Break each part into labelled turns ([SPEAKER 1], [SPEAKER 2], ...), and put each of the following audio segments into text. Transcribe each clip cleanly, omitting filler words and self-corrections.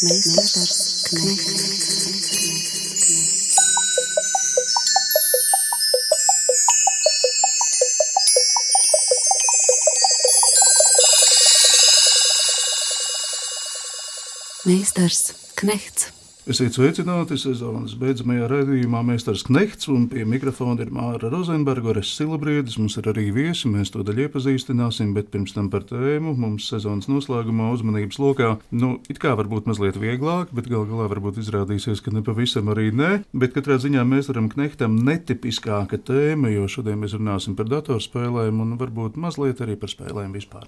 [SPEAKER 1] Meistars Knechts. Meistars Knechts.
[SPEAKER 2] Esiet sveicināti sezonas beidzamajā raidījumā Meistars Knechts, un pie mikrofona ir Māra Rozenberga, Orests Silabriedis. Mums ir arī viesi, mēs to daļu iepazīstināsim, bet pirms tam par tēmu mums sezonas noslēgumā uzmanības lokā. It kā varbūt mazliet vieglāk, bet gal galā varbūt izrādīsies, ka nepavisam arī nē. Bet katrā ziņā Meistaram Knechtam netipiskāka tēma, jo šodien mēs runāsim par datorspēlēm un varbūt mazliet arī par spēlēm vispār.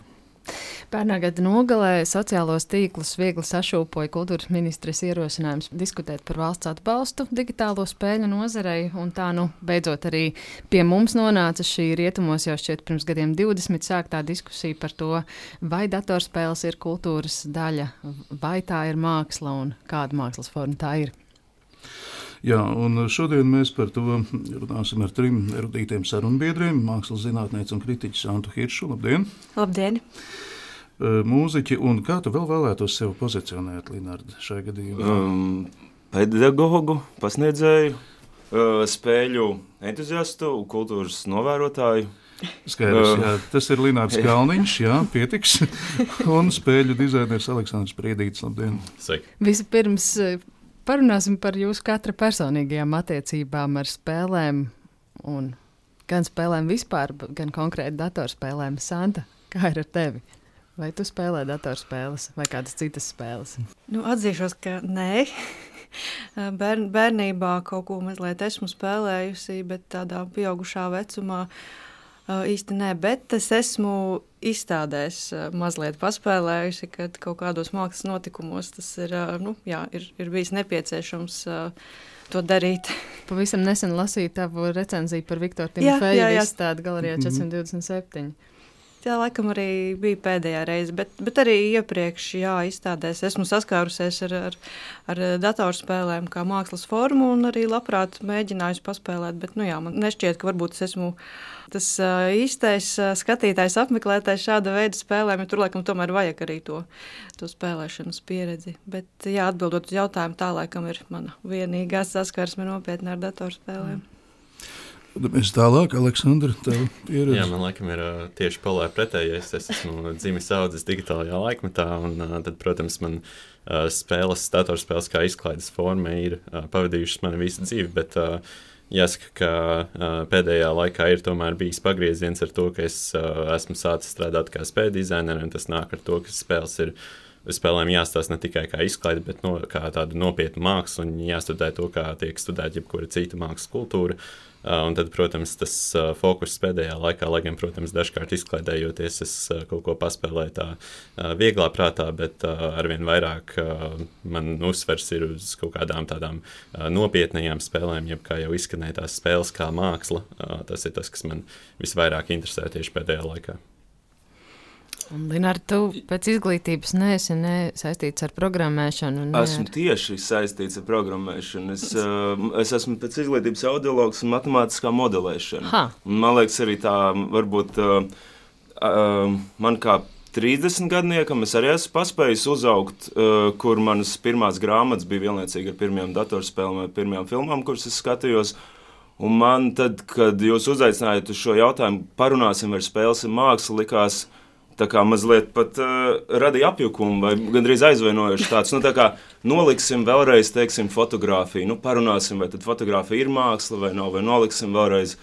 [SPEAKER 3] Pērnā gada nogalē sociālos tīklus viegli sašūpoja kultūras ministres ierosinājums diskutēt par valsts atbalstu digitālo spēļu nozarei, un tā beidzot arī pie mums nonāca šī rietumos jau šķiet pirms gadiem 20 sāktā diskusija par to, vai datorspēles ir kultūras daļa, vai tā ir māksla un kāda mākslas forma tā ir.
[SPEAKER 2] Jā, un šodien mēs par to runāsim ar 3 erudītiem sarunbiedriem, mākslas zinātnieci un kritiķi Santu Hiršu. Labdien!
[SPEAKER 4] Labdien!
[SPEAKER 2] Mūziķi, un kā tu vēl vēlētos sevi pozicionēt, Linarda, šajā gadījumā?
[SPEAKER 5] Pedagogu, pasniedzēju, spēļu entuziastu, kultūras novērotāju.
[SPEAKER 2] Skaidrs, jā, tas ir Linārds Kalniņš, jā, pietiks, un spēļu dizainers Aleksandrs Priedītis. Labdien!
[SPEAKER 5] Sveiki!
[SPEAKER 3] Vispirms parunāsim par jūsu katra personīgajām attiecībām ar spēlēm, un gan spēlēm vispār, gan konkrēti datorspēlēm. Santa, kā ir ar tevi? Vai tu spēlē datorspēles vai kādas citas spēles?
[SPEAKER 4] Atzīšos, ka nē. Bērnībā kaut ko mazliet esmu spēlējusi, bet tādā pieaugušā vecumā īsti nē. Bet es esmu izstādēs mazliet paspēlējusi, kad kaut kādos mākslas notikumos tas ir, ir bijis nepieciešams to darīt.
[SPEAKER 3] Pavisam nesen lasīju tavu recenziju par Viktoru Timofejevu izstādi galerijā 427.
[SPEAKER 4] Tā laikam arī bija pēdējā reize, bet arī iepriekš izstādēs esmu saskārusies ar datorspēlēm kā mākslas formu un arī labprāt mēģinājusi paspēlēt, bet man nešķiet, ka varbūt es esmu tas īstais skatītājs, apmeklētājs šāda veida spēlēm, jo tur laikam tomēr vajag arī to spēlēšanas pieredzi. Bet atbildot uz jautājumu, tā laikam ir mana vienīgā saskarsme nopietni ar datorspēlēm.
[SPEAKER 2] Mēs tālāk, Aleksandra, tev pieredzi.
[SPEAKER 5] Jā, man laikam ir tieši polēr pretējais. Es esmu dzimis audzis digitālajā laikmetā, un tad, protams, man datorspēles kā izklaides forma ir pavadījušas mani visu dzīvi, bet jāsaka, ka pēdējā laikā ir tomēr bijis pagrieziens ar to, ka es esmu sācis strādāt kā spēļu dizaineri, un tas nāk ar to, ka spēlēm jāstāsta ne tikai kā izklaide, bet kā tādu nopietnu mākslu, un jāstudē to, kā tiek studēta jebkura cita mākslas kultūra. Un tad, protams, tas fokus pēdējā laikā, lai gan, protams, dažkārt izklaidējoties, es kaut ko paspēlēju tā vieglā prātā, bet arvien vairāk man uzsvers ir uz kaut kādām tādām nopietnajām spēlēm, jeb kā jau izskanēja tās spēles kā māksla. Tas ir tas, kas man visvairāk interesē tieši pēdējā laikā.
[SPEAKER 3] Linārd, tu pēc izglītības neesi saistīts ar programmēšanu?
[SPEAKER 6] Esmu tieši saistīts ar programmēšanu. Es esmu pēc izglītības audiologs un matemātiskā modelēšana. Man liekas, arī tā varbūt man kā 30 gadniekam es arī esmu paspējis uzaugt, kur manas pirmās grāmatas bija vienlaicīgi ar pirmajām datorspēlēm vai pirmajām filmām, kuras es skatījos. Un man tad, kad jūs uzaicinājāt uz šo jautājumu, parunāsim ar spēles un mākslu, likās tā kā mazliet pat radīja apjukumu vai gandrīz aizvainojuši tāds. Tā kā noliksim vēlreiz, teiksim, fotogrāfiju. Parunāsim, vai tad fotogrāfija ir māksla vai nav, vai noliksim vēlreiz.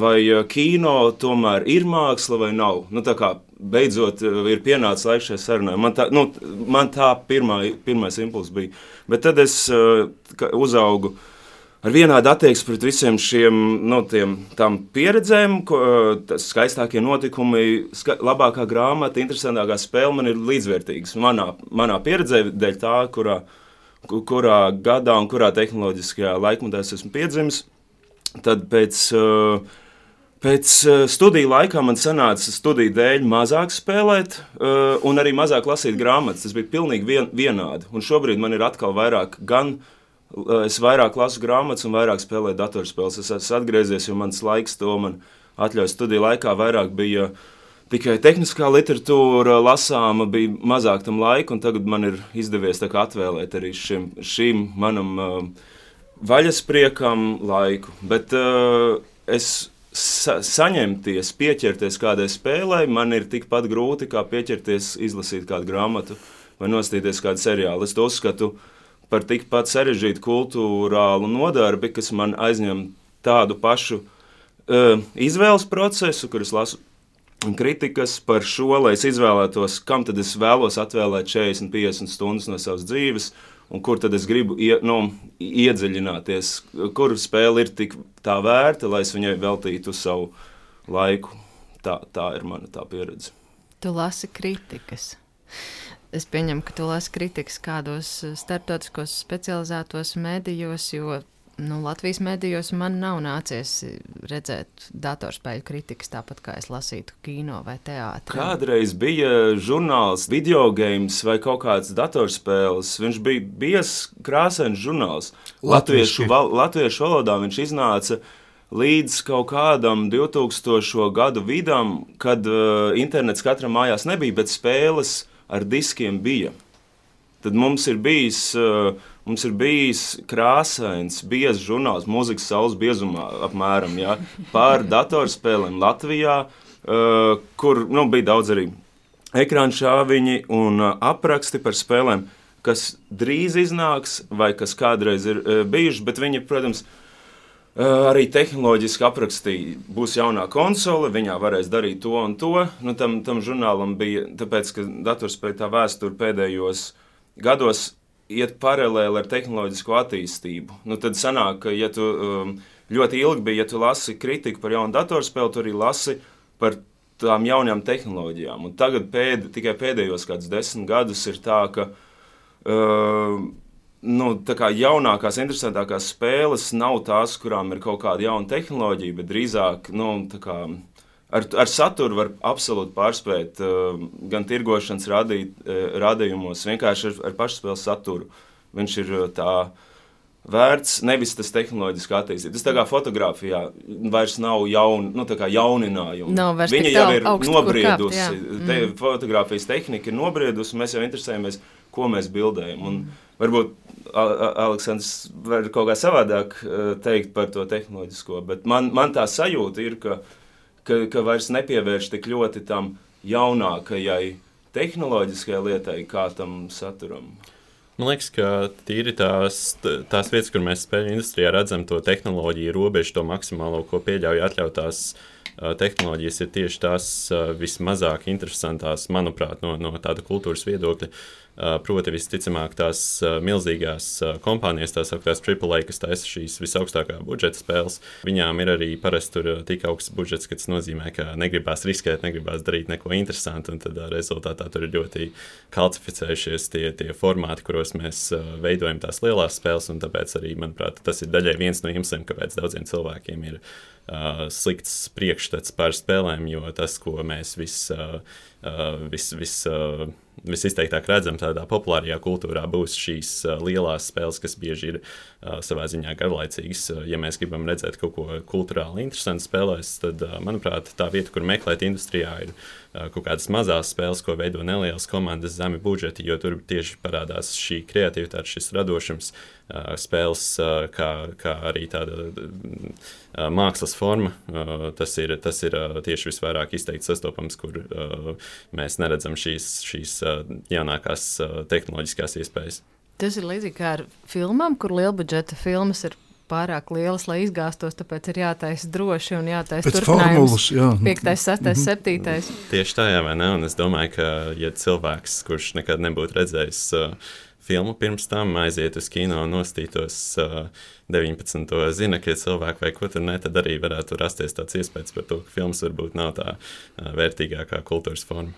[SPEAKER 6] Vai kino tomēr ir māksla vai nav. Tā kā beidzot ir pienācis laiks šai sarunai. Man tā pirmais impulss bija. Bet tad es uzaugu ar vienādu attieksmi pret visiem šiem tām pieredzēm, skaistākie notikumi, labākā grāmata, interesantākā spēle man ir līdzvērtīgas. Manā pieredzē dēļ tā, kurā gadā un kurā tehnoloģiskajā laikmetā es esmu piedzimis, tad pēc studiju laikā man sanāca studiju dēļ mazāk spēlēt un arī mazāk lasīt grāmatas. Tas bija pilnīgi vienādi. Un šobrīd man ir atkal vairāk es vairāk lasu grāmatas un vairāk spēlēju datorspēles. Es esmu atgriezies, jo mans laiks to man atļauj studiju laikā vairāk bija tikai tehniskā literatūra lasāma, bija mazāk tam laika, un tagad man ir izdevies tā kā atvēlēt arī šim manam vaļaspriekam laiku. Bet es saņemties, pieķerties kādai spēlei, man ir tikpat grūti, kā pieķerties, izlasīt kādu grāmatu vai nostīties kādu seriālu. Es to uzskatu par tikpat sarežģītu kultūrālu nodarbi, kas man aizņem tādu pašu izvēles procesu, kur es lasu kritikas par šo, lai es izvēlētos, kam tad es vēlos atvēlēt 40-50 stundas no savas dzīves, un kur tad es gribu iedziļināties, kur spēle ir tik tā vērta, lai es viņai veltītu savu laiku. Tā ir mana tā pieredze.
[SPEAKER 3] Tu lasi kritikas. Es pieņemu, ka tu lasi kritikas kādos starptautiskos specializētos medijos, jo Latvijas medijos man nav nācies redzēt datorspēļu kritikas, tāpat kā es lasītu kino vai teātri.
[SPEAKER 6] Kādreiz bija žurnāls Videogames vai kaut kāds datorspēles. Viņš bija biezs, krāsains žurnāls. Latviešu valodā viņš iznāca līdz kaut kādam 2000. Gadu vidam, kad internets katram mājās nebija, bet spēles ar diskiem bija. Tad mums ir bijis krāsains, biezs žurnāls, mūzikas saules biezumā apmēram, ja, par datorspēlēm Latvijā, kur bija daudz arī ekrāna šāviņi un apraksti par spēlēm, kas drīz iznāks vai kas kādreiz ir bijuši, bet viņi, protams, arī tehnoloģiski aprakstīja, būs jaunā konsole, viņā varēs darīt to un to. Tam žurnālam bija, tāpēc, ka datorspēļu tā vēsture pēdējos gados iet paralēli ar tehnoloģisko attīstību. Tad sanāk, ka, ja tu ļoti ilgi bija, ja tu lasi kritiku par jaunu datorspēli, tu arī lasi par tām jaunajām tehnoloģijām. Un tagad tikai pēdējos kādus 10 gadus ir tā, ka tā kā jaunākās, interesantākās spēles nav tās, kurām ir kaut kāda jauna tehnoloģija, bet drīzāk ar saturu var absolūti pārspēt gan tirgošanas rādījumos, vienkārši ar pašspēles saturu. Viņš ir tā vērts, nevis tas tehnoloģiski attīstīt. Tas tā kā fotografijā vairs nav jauninājumi. Viņa jau ir nobriedusi, fotografijas tehnika ir nobriedusi, mēs jau interesējamies, ko mēs bildējam. Un varbūt Aleksandrs var kaut kā savādāk teikt par to tehnoloģisko, bet man tā sajūta ir, ka vairs nepievērš tik ļoti tam jaunākajai tehnoloģiskajai lietai, kā tam saturam.
[SPEAKER 5] Man liekas, ka tīri tās vietas, kur mēs spēļu industrijā redzam to tehnoloģiju robežu, to maksimālo, ko pieļauj atļautās tehnoloģijas, ir tieši tās vismazāk interesantās, manuprāt, no tāda kultūras viedokļa. Proti, visticamāk, tās milzīgās kompānijas, tās augstās AAA, kas taisa šīs visaugstākā budžeta spēles, viņām ir arī parasti tur tik augsts budžets, ka tas nozīmē, ka negribās riskēt, negribās darīt neko interesantu, un tad rezultātā tur ir ļoti kalcificējušies tie formāti, kuros mēs veidojam tās lielās spēles, un tāpēc arī, manuprāt, tas ir daļai viens no iemesliem, kāpēc daudziem cilvēkiem ir slikts priekšstats par spēlēm, jo tas, ko mēs visizteiktāk redzam tādā populārajā kultūrā, būs šīs lielās spēles, kas bieži ir savā ziņā garlaicīgas. Ja mēs gribam redzēt kaut ko kulturāli interesantu spēlēs, tad, manuprāt, tā vieta, kur meklēt industrijā, ir kaut kādas mazās spēles, ko veido nelielas komandas, zemi budžeti, jo tur tieši parādās šī kreativitāte, šis radošums, spēles, kā arī tāda mākslas forma. Tas ir tieši visvairāk izteikti sastopams, kur mēs neredzam šīs jaunākās tehnoloģiskās iespējas.
[SPEAKER 3] Tas ir līdzīgi kā ar filmām, kur lielbudžeta filmas ir pārāk lielas, lai izgāstos, tāpēc ir jātaisa droši un jātaisa turpinājums. 5., 6., 7.
[SPEAKER 5] Tieši tā, jā, vai ne? Un es domāju, ka ja cilvēks, kurš nekad nebūtu redzējis filmu pirms tam, aiziet uz kino un nostītos 19. zinekļa cilvēku vai ko tur ne, tad arī varētu rasties tāds iespējas par to, ka filmas varbūt nav tā vērtīgākā kultūras forma.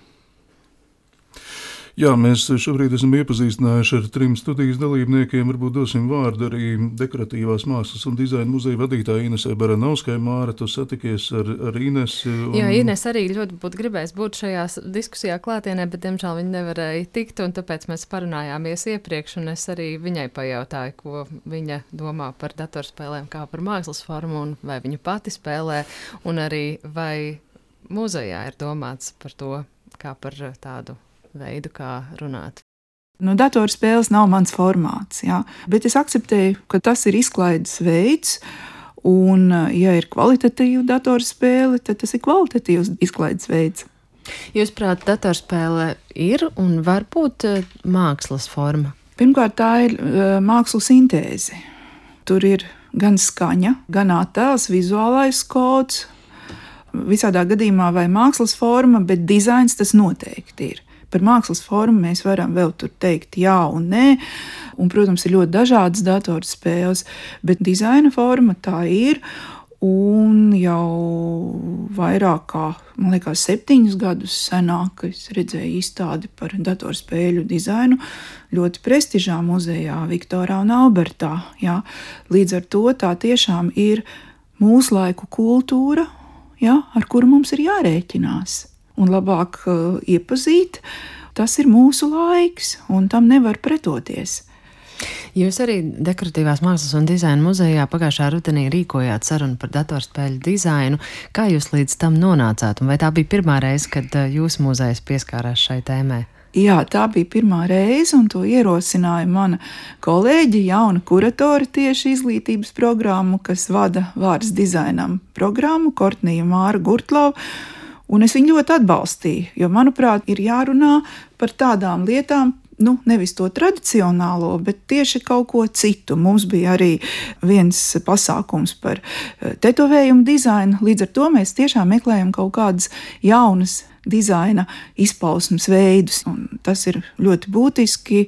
[SPEAKER 2] Jā, mēs šobrīd esam iepazīstinājuši ar 3 studijas dalībniekiem. Varbūt dosim vārdu arī dekoratīvās mākslas un dizaina muzeja vadītāja Inesai Baranovskai. Māra, tu satikies ar Inesi.
[SPEAKER 3] Jā, Ines arī ļoti būtu gribējis būt šajā diskusijā klātienē, bet, diemžēl, viņa nevarēja tikt, un tāpēc mēs parunājāmies iepriekš, un es arī viņai pajautāju, ko viņa domā par datorspēlēm kā par mākslas formu, un vai viņa pati spēlē, un arī vai muzejā ir domāts par to, kā par tādu veidu, kā runāt?
[SPEAKER 7] Datorspēles nav mans formāts, jā, bet es akceptēju, ka tas ir izklaides veids, un, ja ir kvalitatīva datorspēle, tad tas ir kvalitatīvs izklaides veids.
[SPEAKER 3] Jūsuprāt, datorspēle ir un var būt mākslas forma?
[SPEAKER 7] Pirmkārt, tā ir mākslu sintēze. Tur ir gan skaņa, gan attēls, vizuālais kods. Visādā gadījumā vai mākslas forma, bet dizains tas noteikti ir. Par mākslas formu mēs varam vēl tur teikt jā un nē, un, protams, ir ļoti dažādas datorspēles, bet dizaina forma tā ir, un jau vairāk kā, man liekas, 7 gadus senāk es redzēju izstādi par datorspēļu dizainu ļoti prestižā muzejā Viktorā un Albertā. Jā. Līdz ar to tā tiešām ir mūsu laiku kultūra, jā, ar kuru mums ir jārēķinās. Un labāk iepazīt, tas ir mūsu laiks, un tam nevar pretoties.
[SPEAKER 3] Jūs arī Dekoratīvās mākslas un dizaina muzejā pagājušā rudenī rīkojāt sarunu par datorspēļu dizainu. Kā jūs līdz tam nonācāt, un vai tā bija pirmā reize, kad jūsu muzejs pieskārās šai tēmai?
[SPEAKER 7] Jā, tā bija pirmā reize, un to ierosināja mana kolēģe, jauna kuratore tieši izglītības programmu, kas vada vārds dizainam programmu, Kortnija Māra Gurtlova. Un es viņu ļoti atbalstīju, jo, manuprāt, ir jārunā par tādām lietām, nevis to tradicionālo, bet tieši kaut ko citu. Mums bija arī viens pasākums par tetovējumu dizainu, līdz ar to mēs tiešām meklējam kaut kādas jaunas dizaina izpausmes veidus. Un tas ir ļoti būtiski,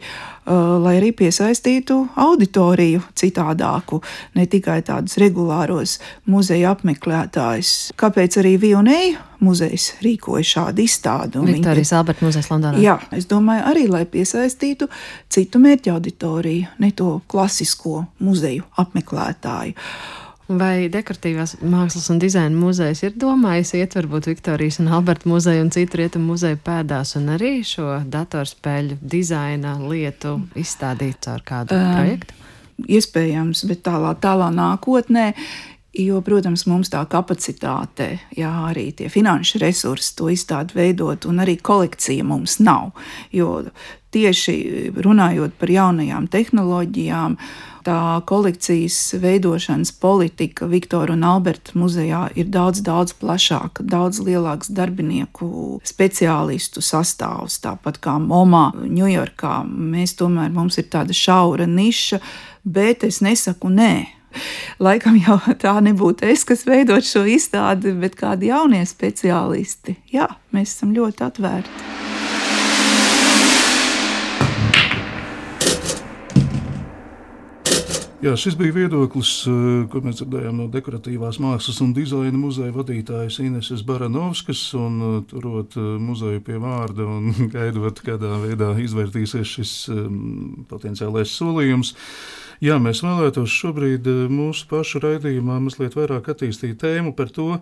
[SPEAKER 7] lai arī piesaistītu auditoriju citādāku, ne tikai tādus regulāros muzeja apmeklētājus. Kāpēc arī V&A muzejs rīkoja šādu izstādi?
[SPEAKER 3] Viktorijas Alberta muzejs Londonā.
[SPEAKER 7] Jā, es domāju arī, lai piesaistītu citu mērķa auditoriju, ne to klasisko muzeju apmeklētāju.
[SPEAKER 3] Vai Dekoratīvās mākslas un dizaina muzejs ir domājis iet varbūt Viktorijas un Alberta muzeju un citu rietumu muzeju pēdās un arī šo datorspēļu dizaina lietu izstādīt caur kādu projektu?
[SPEAKER 7] Iespējams, bet tālā nākotnē, jo, protams, mums tā kapacitāte, jā, arī tie finanšu resursi to izstādi veidot, un arī kolekcija mums nav, jo tieši runājot par jaunajām tehnoloģijām, tā kolekcijas veidošanas politika Viktora un Alberta muzejā ir daudz plašāka, daudz lielāks darbinieku speciālistu sastāvs, tāpat kā MoMA Ņujorkā. Mums ir tāda šaura niša, bet es nesaku nē. Laikam jau tā nebūtu es, kas veidot šo izstādi, bet kādi jaunie speciālisti. Jā, mēs esam ļoti atvērti.
[SPEAKER 2] Jā, šis bija viedoklis, ko mēs dzirdējām no Dekoratīvās mākslas un dizaina muzeja vadītājas Ineses Baranovskas, un turot muzeju pie vārda un gaidot, kādā veidā izvērtīsies šis potenciālais solījums. Jā, mēs vēlētos šobrīd mūsu pašu raidījumā mazliet vairāk attīstīt tēmu par to,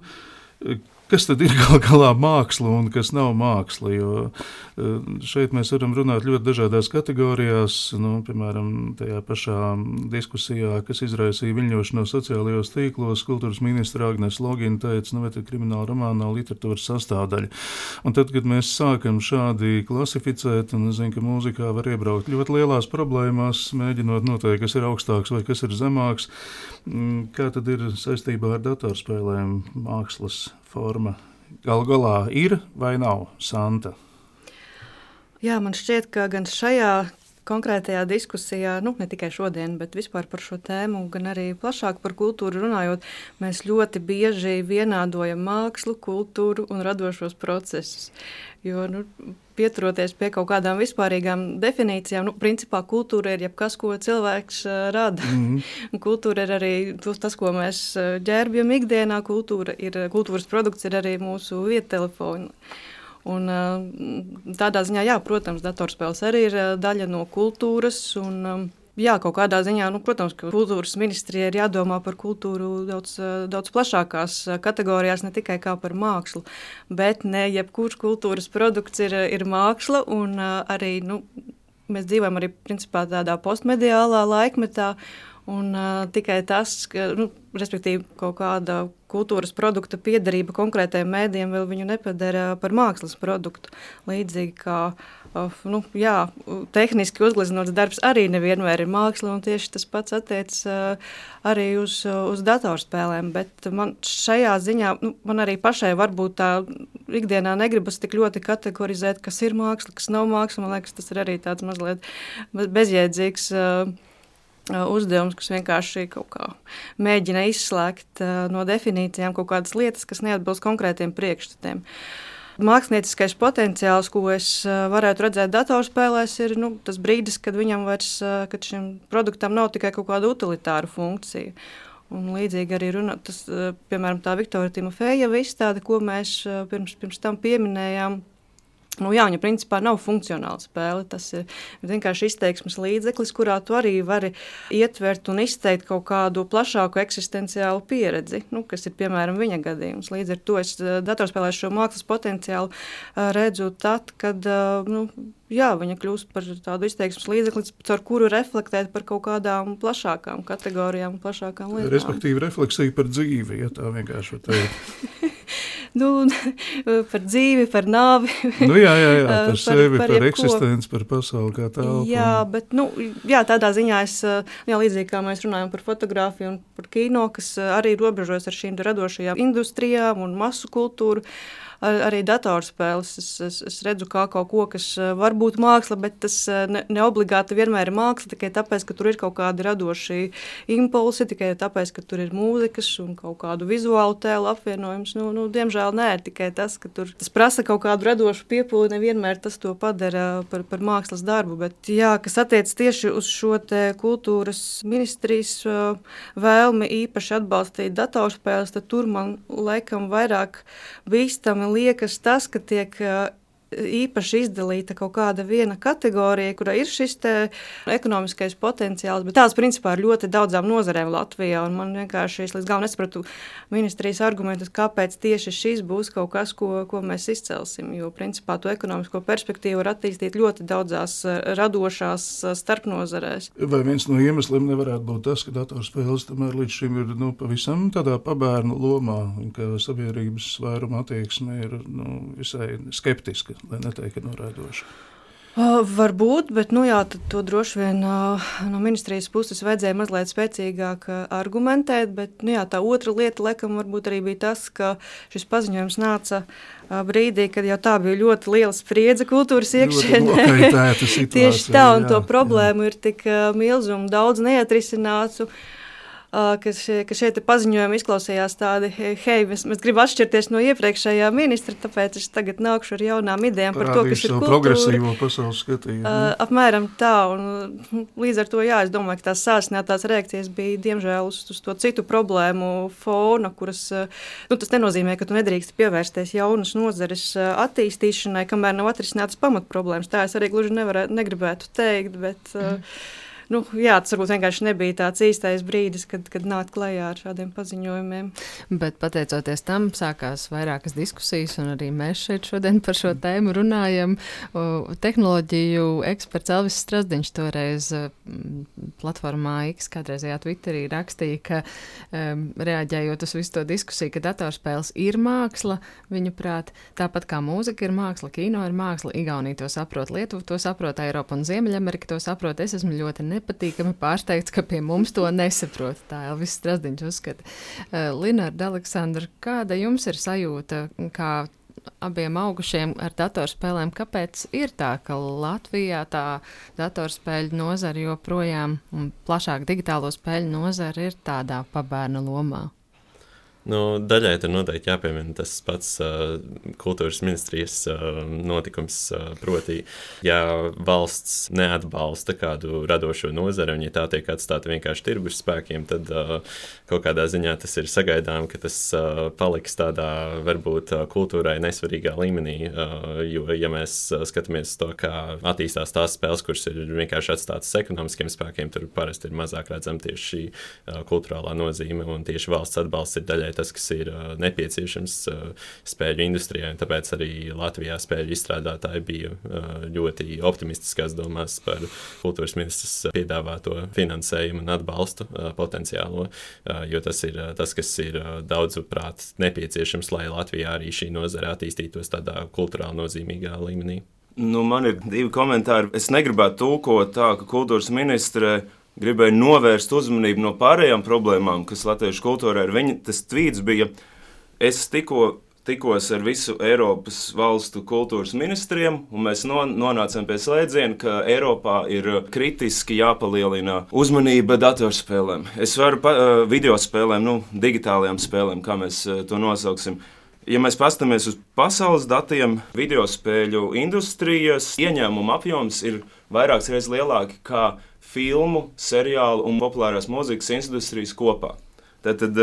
[SPEAKER 2] kas tad ir gal galā māksla un kas nav māksla, jo šeit mēs varam runāt ļoti dažādās kategorijās, piemēram, tajā pašā diskusijā, kas izraisīja viļņošanos sociālajos tīklos, kultūras ministra Agnes Logina teica, vai tad krimināla romāna nav literatūras sastāvdaļa. Un tad, kad mēs sākam šādi klasificēt, un es zinu, ka mūzikā var iebraukt ļoti lielās problēmās, mēģinot noteikt, kas ir augstāks vai kas ir zemāks, kā tad ir saistībā ar datorspēlēm mākslas forma galu galā ir vai nav, Santa?
[SPEAKER 4] Jā, man šķiet, ka gan šajā konkrētajā diskusijā, ne tikai šodien, bet vispār par šo tēmu, gan arī plašāk par kultūru runājot, mēs ļoti bieži vienādojam mākslu, kultūru un radošos procesus. Jo, pieturoties pie kaut kādām vispārīgām definīcijām, principā kultūra ir jebkas, ko cilvēks rada. Kultūra ir arī tas, ko mēs ģērbjam ikdienā. Kultūras produkts ir arī mūsu viedtelefoni. Un tādā ziņā, jā, protams, datorspēles arī ir daļa no kultūras, un jā, kaut kādā ziņā, protams, ka kultūras ministrijai ir jādomā par kultūru daudz plašākās kategorijās, ne tikai kā par mākslu, bet ne jebkurš kultūras produkts ir māksla, un arī, mēs dzīvojam arī principā tādā postmediālā laikmetā, Un tikai tas, ka, respektīvi, kaut kāda kultūras produkta piederība konkrētajiem mēdījiem vēl viņu nepadara par mākslas produktu. Līdzīgi kā tehniski uzgleznots darbs arī nevienmēr ir māksla, un tieši tas pats attiecas arī uz datorspēlēm. Bet man šajā ziņā, man arī pašai varbūt tā ikdienā negribas tik ļoti kategorizēt, kas ir māksla, kas nav māksla. Man liekas, tas ir arī tāds mazliet bezjēdzīgs uzdevums, kas vienkārši kaut kā mēģina izslēgt no definīcijām kaut kādas lietas, kas neatbilst konkrētiem priekšstatiem. Mākslinieckais potenciāls, ko es varētu redzēt datorspēlēs, ir tas brīdis, kad kad šim produktam nav tikai kaut kāda utilitāra funkcija. Un līdzīgi arī tas, piemēram, tā Viktorija Timofejeva izstāde, ko mēs pirms tam pieminējām. Viņa principā nav funkcionāla spēle. Tas ir vienkārši izteiksmes līdzeklis, kurā tu arī vari ietvert un izteikt kaut kādu plašāku eksistenciālu pieredzi, kas ir, piemēram, viņa gadījums. Līdz ar to es datorspēlē šo mākslas potenciālu redzu tad, kad viņa kļūst par tādu izteiksmes līdzekli, caur kuru reflektēt par kaut kādām plašākām kategorijām, plašākām lietām.
[SPEAKER 2] Respektīvi, refleksija par dzīvi, ja tā vienkārši var teikt.
[SPEAKER 4] Par dzīvi, par nāvi.
[SPEAKER 2] Par sevi, par eksistenci, par pasauli kā tālu.
[SPEAKER 4] Jā, bet tādā ziņā es, līdzīgi kā mēs runājam par fotografiju un par kino, kas arī robežojas ar šīm radošajām industrijām un masu kultūru, arī datorspēles. Es redzu kā kaut ko, kas var būt māksla, bet tas neobligāti vienmēr ir māksla, tikai tāpēc, ka tur ir kaut kādi radoši impulsi, tikai tāpēc, ka tur ir mūzikas un kaut kādu vizuālu tēlu apvienojums. Diemžēl nē, tikai tas, ka tas prasa kaut kādu radošu piepūli, nevienmēr tas to padara par mākslas darbu. Bet kas attiec tieši uz šo te kultūras ministrijas vēlmi īpaši atbalstīt datorspēles, tad tur man laikam vairāk bīstami liekas tas, ka tiek īpaši izdalīta kaut kāda viena kategorija, kurā ir šis te ekonomiskais potenciāls, bet tās principā ir ļoti daudzām nozarēm Latvijā, un man vienkārši es līdz galam nesapratu ministrijas argumentus, kāpēc tieši šis būs kaut kas, ko mēs izcelsim, jo principā to ekonomisko perspektīvu var attīstīt ļoti daudzās radošās starpnozarēs.
[SPEAKER 2] Vai viens no iemesliem nevarētu būt tas, ka datorspēles tomēr līdz šim ir pavisam tādā pabērnu lomā, un ka sabiedrības vairuma attieksme ir visai skeptiska, lai neteikt, ka noraidoša?
[SPEAKER 4] Varbūt, bet to droši vien no ministrijas puses vajadzēja mazliet spēcīgāk argumentēt, bet tā otra lieta, laikam, varbūt arī bija tas, ka šis paziņojums nāca brīdī, kad jau tā bija ļoti liela spriedze kultūras iekšienē. Tieši tā, un to problēmu ir tik milzu un daudz neatrisinātu, ka šie paziņojumi izklausījās tādi, mēs gribam atšķirties no iepriekšējā ministra, tāpēc es tagad nākšu ar jaunām idejām par to, kas ir kultūra.
[SPEAKER 2] Progresīvo pasaules skatījumu.
[SPEAKER 4] Apmēram tā, un līdz ar to, es domāju, ka tās sāsinātās reakcijas bija, diemžēl, uz to citu problēmu fona, kuras, tas nenozīmē, ka tu nedrīkst pievērsties jaunas nozares attīstīšanai, kamēr nav atrisinātas pamatproblēmas. Tā es arī gluži negribētu teikt, bet... tas varbūt vienkārši nebija tāds īstais brīdis, kad nākt klajā ar šādiem paziņojumiem.
[SPEAKER 3] Bet pateicoties tam, sākās vairākas diskusijas, un arī mēs šeit šodien par šo tēmu runājam. Tehnoloģiju eksperts Elvis Strasdiņš toreiz platformā X, kādreizajā Twitterī rakstīja, ka reaģējot uz visu to diskusiju, ka datorspēles ir māksla, viņuprāt, tāpat kā mūzika ir māksla, kino ir māksla, Igaunija to saprot, Lietuva to saprot, Eiropa un Ziemeļamerika to saprot. Es esmu ļoti nepatīkami pārsteigts, ka pie mums to nesaprot. Tā Elvis Strasdiņš uzskata. Linarda, Aleksandra, kāda jums ir sajūta, kā abiem augušiem ar datorspēlēm, kāpēc ir tā, ka Latvijā tā datorspēļu nozara joprojām un plašāk digitālo spēļu nozara ir tādā pabērna lomā?
[SPEAKER 5] Daļai tur noteikti jāpiemina tas pats kultūras ministrijas notikums, proti, ja valsts neatbalsta kādu radošo nozari un ja tā tiek atstāta vienkārši tirgus spēkiem, tad kaut kādā ziņā tas ir sagaidām, ka tas paliks tādā varbūt kultūrai nesvarīgā līmenī, jo ja mēs skatāmies to, kā attīstās tās spēles, kuras ir vienkārši atstātas ekonomiskiem spēkiem, tur parasti ir mazāk redzama tieši šī kultūrālā nozīme un tieši valsts atbalsts ir daļai tas, kas ir nepieciešams spēļu industrijai. Tāpēc arī Latvijā spēļu izstrādātāji bija ļoti optimistiskās domās par kultūras ministras piedāvāto finansējumu un atbalstu potenciālo, jo tas ir tas, kas ir daudzuprāt nepieciešams, lai Latvijā arī šī nozare attīstītos tādā kultūrāli nozīmīgā līmenī.
[SPEAKER 6] Man ir 2 komentāri. Es negribētu tulkot tā, ka kultūras ministre gribēja novērst uzmanību no pārējām problēmām, kas latviešu kultūrā ir. Tas tvīts bija, es tikos ar visu Eiropas valstu kultūras ministriem, un mēs nonācām pie slēdziena, ka Eiropā ir kritiski jāpalielina uzmanība datorspēlēm. Es varu video spēlēm, digitālajām spēlēm, kā mēs to nosauksim. Ja mēs paskatāmies uz pasaules datiem, video spēļu industrijas ieņēmuma apjoms ir vairākas reizes lielāki kā filmu, seriālu un populārās mūzikas industrijas kopā. Tātad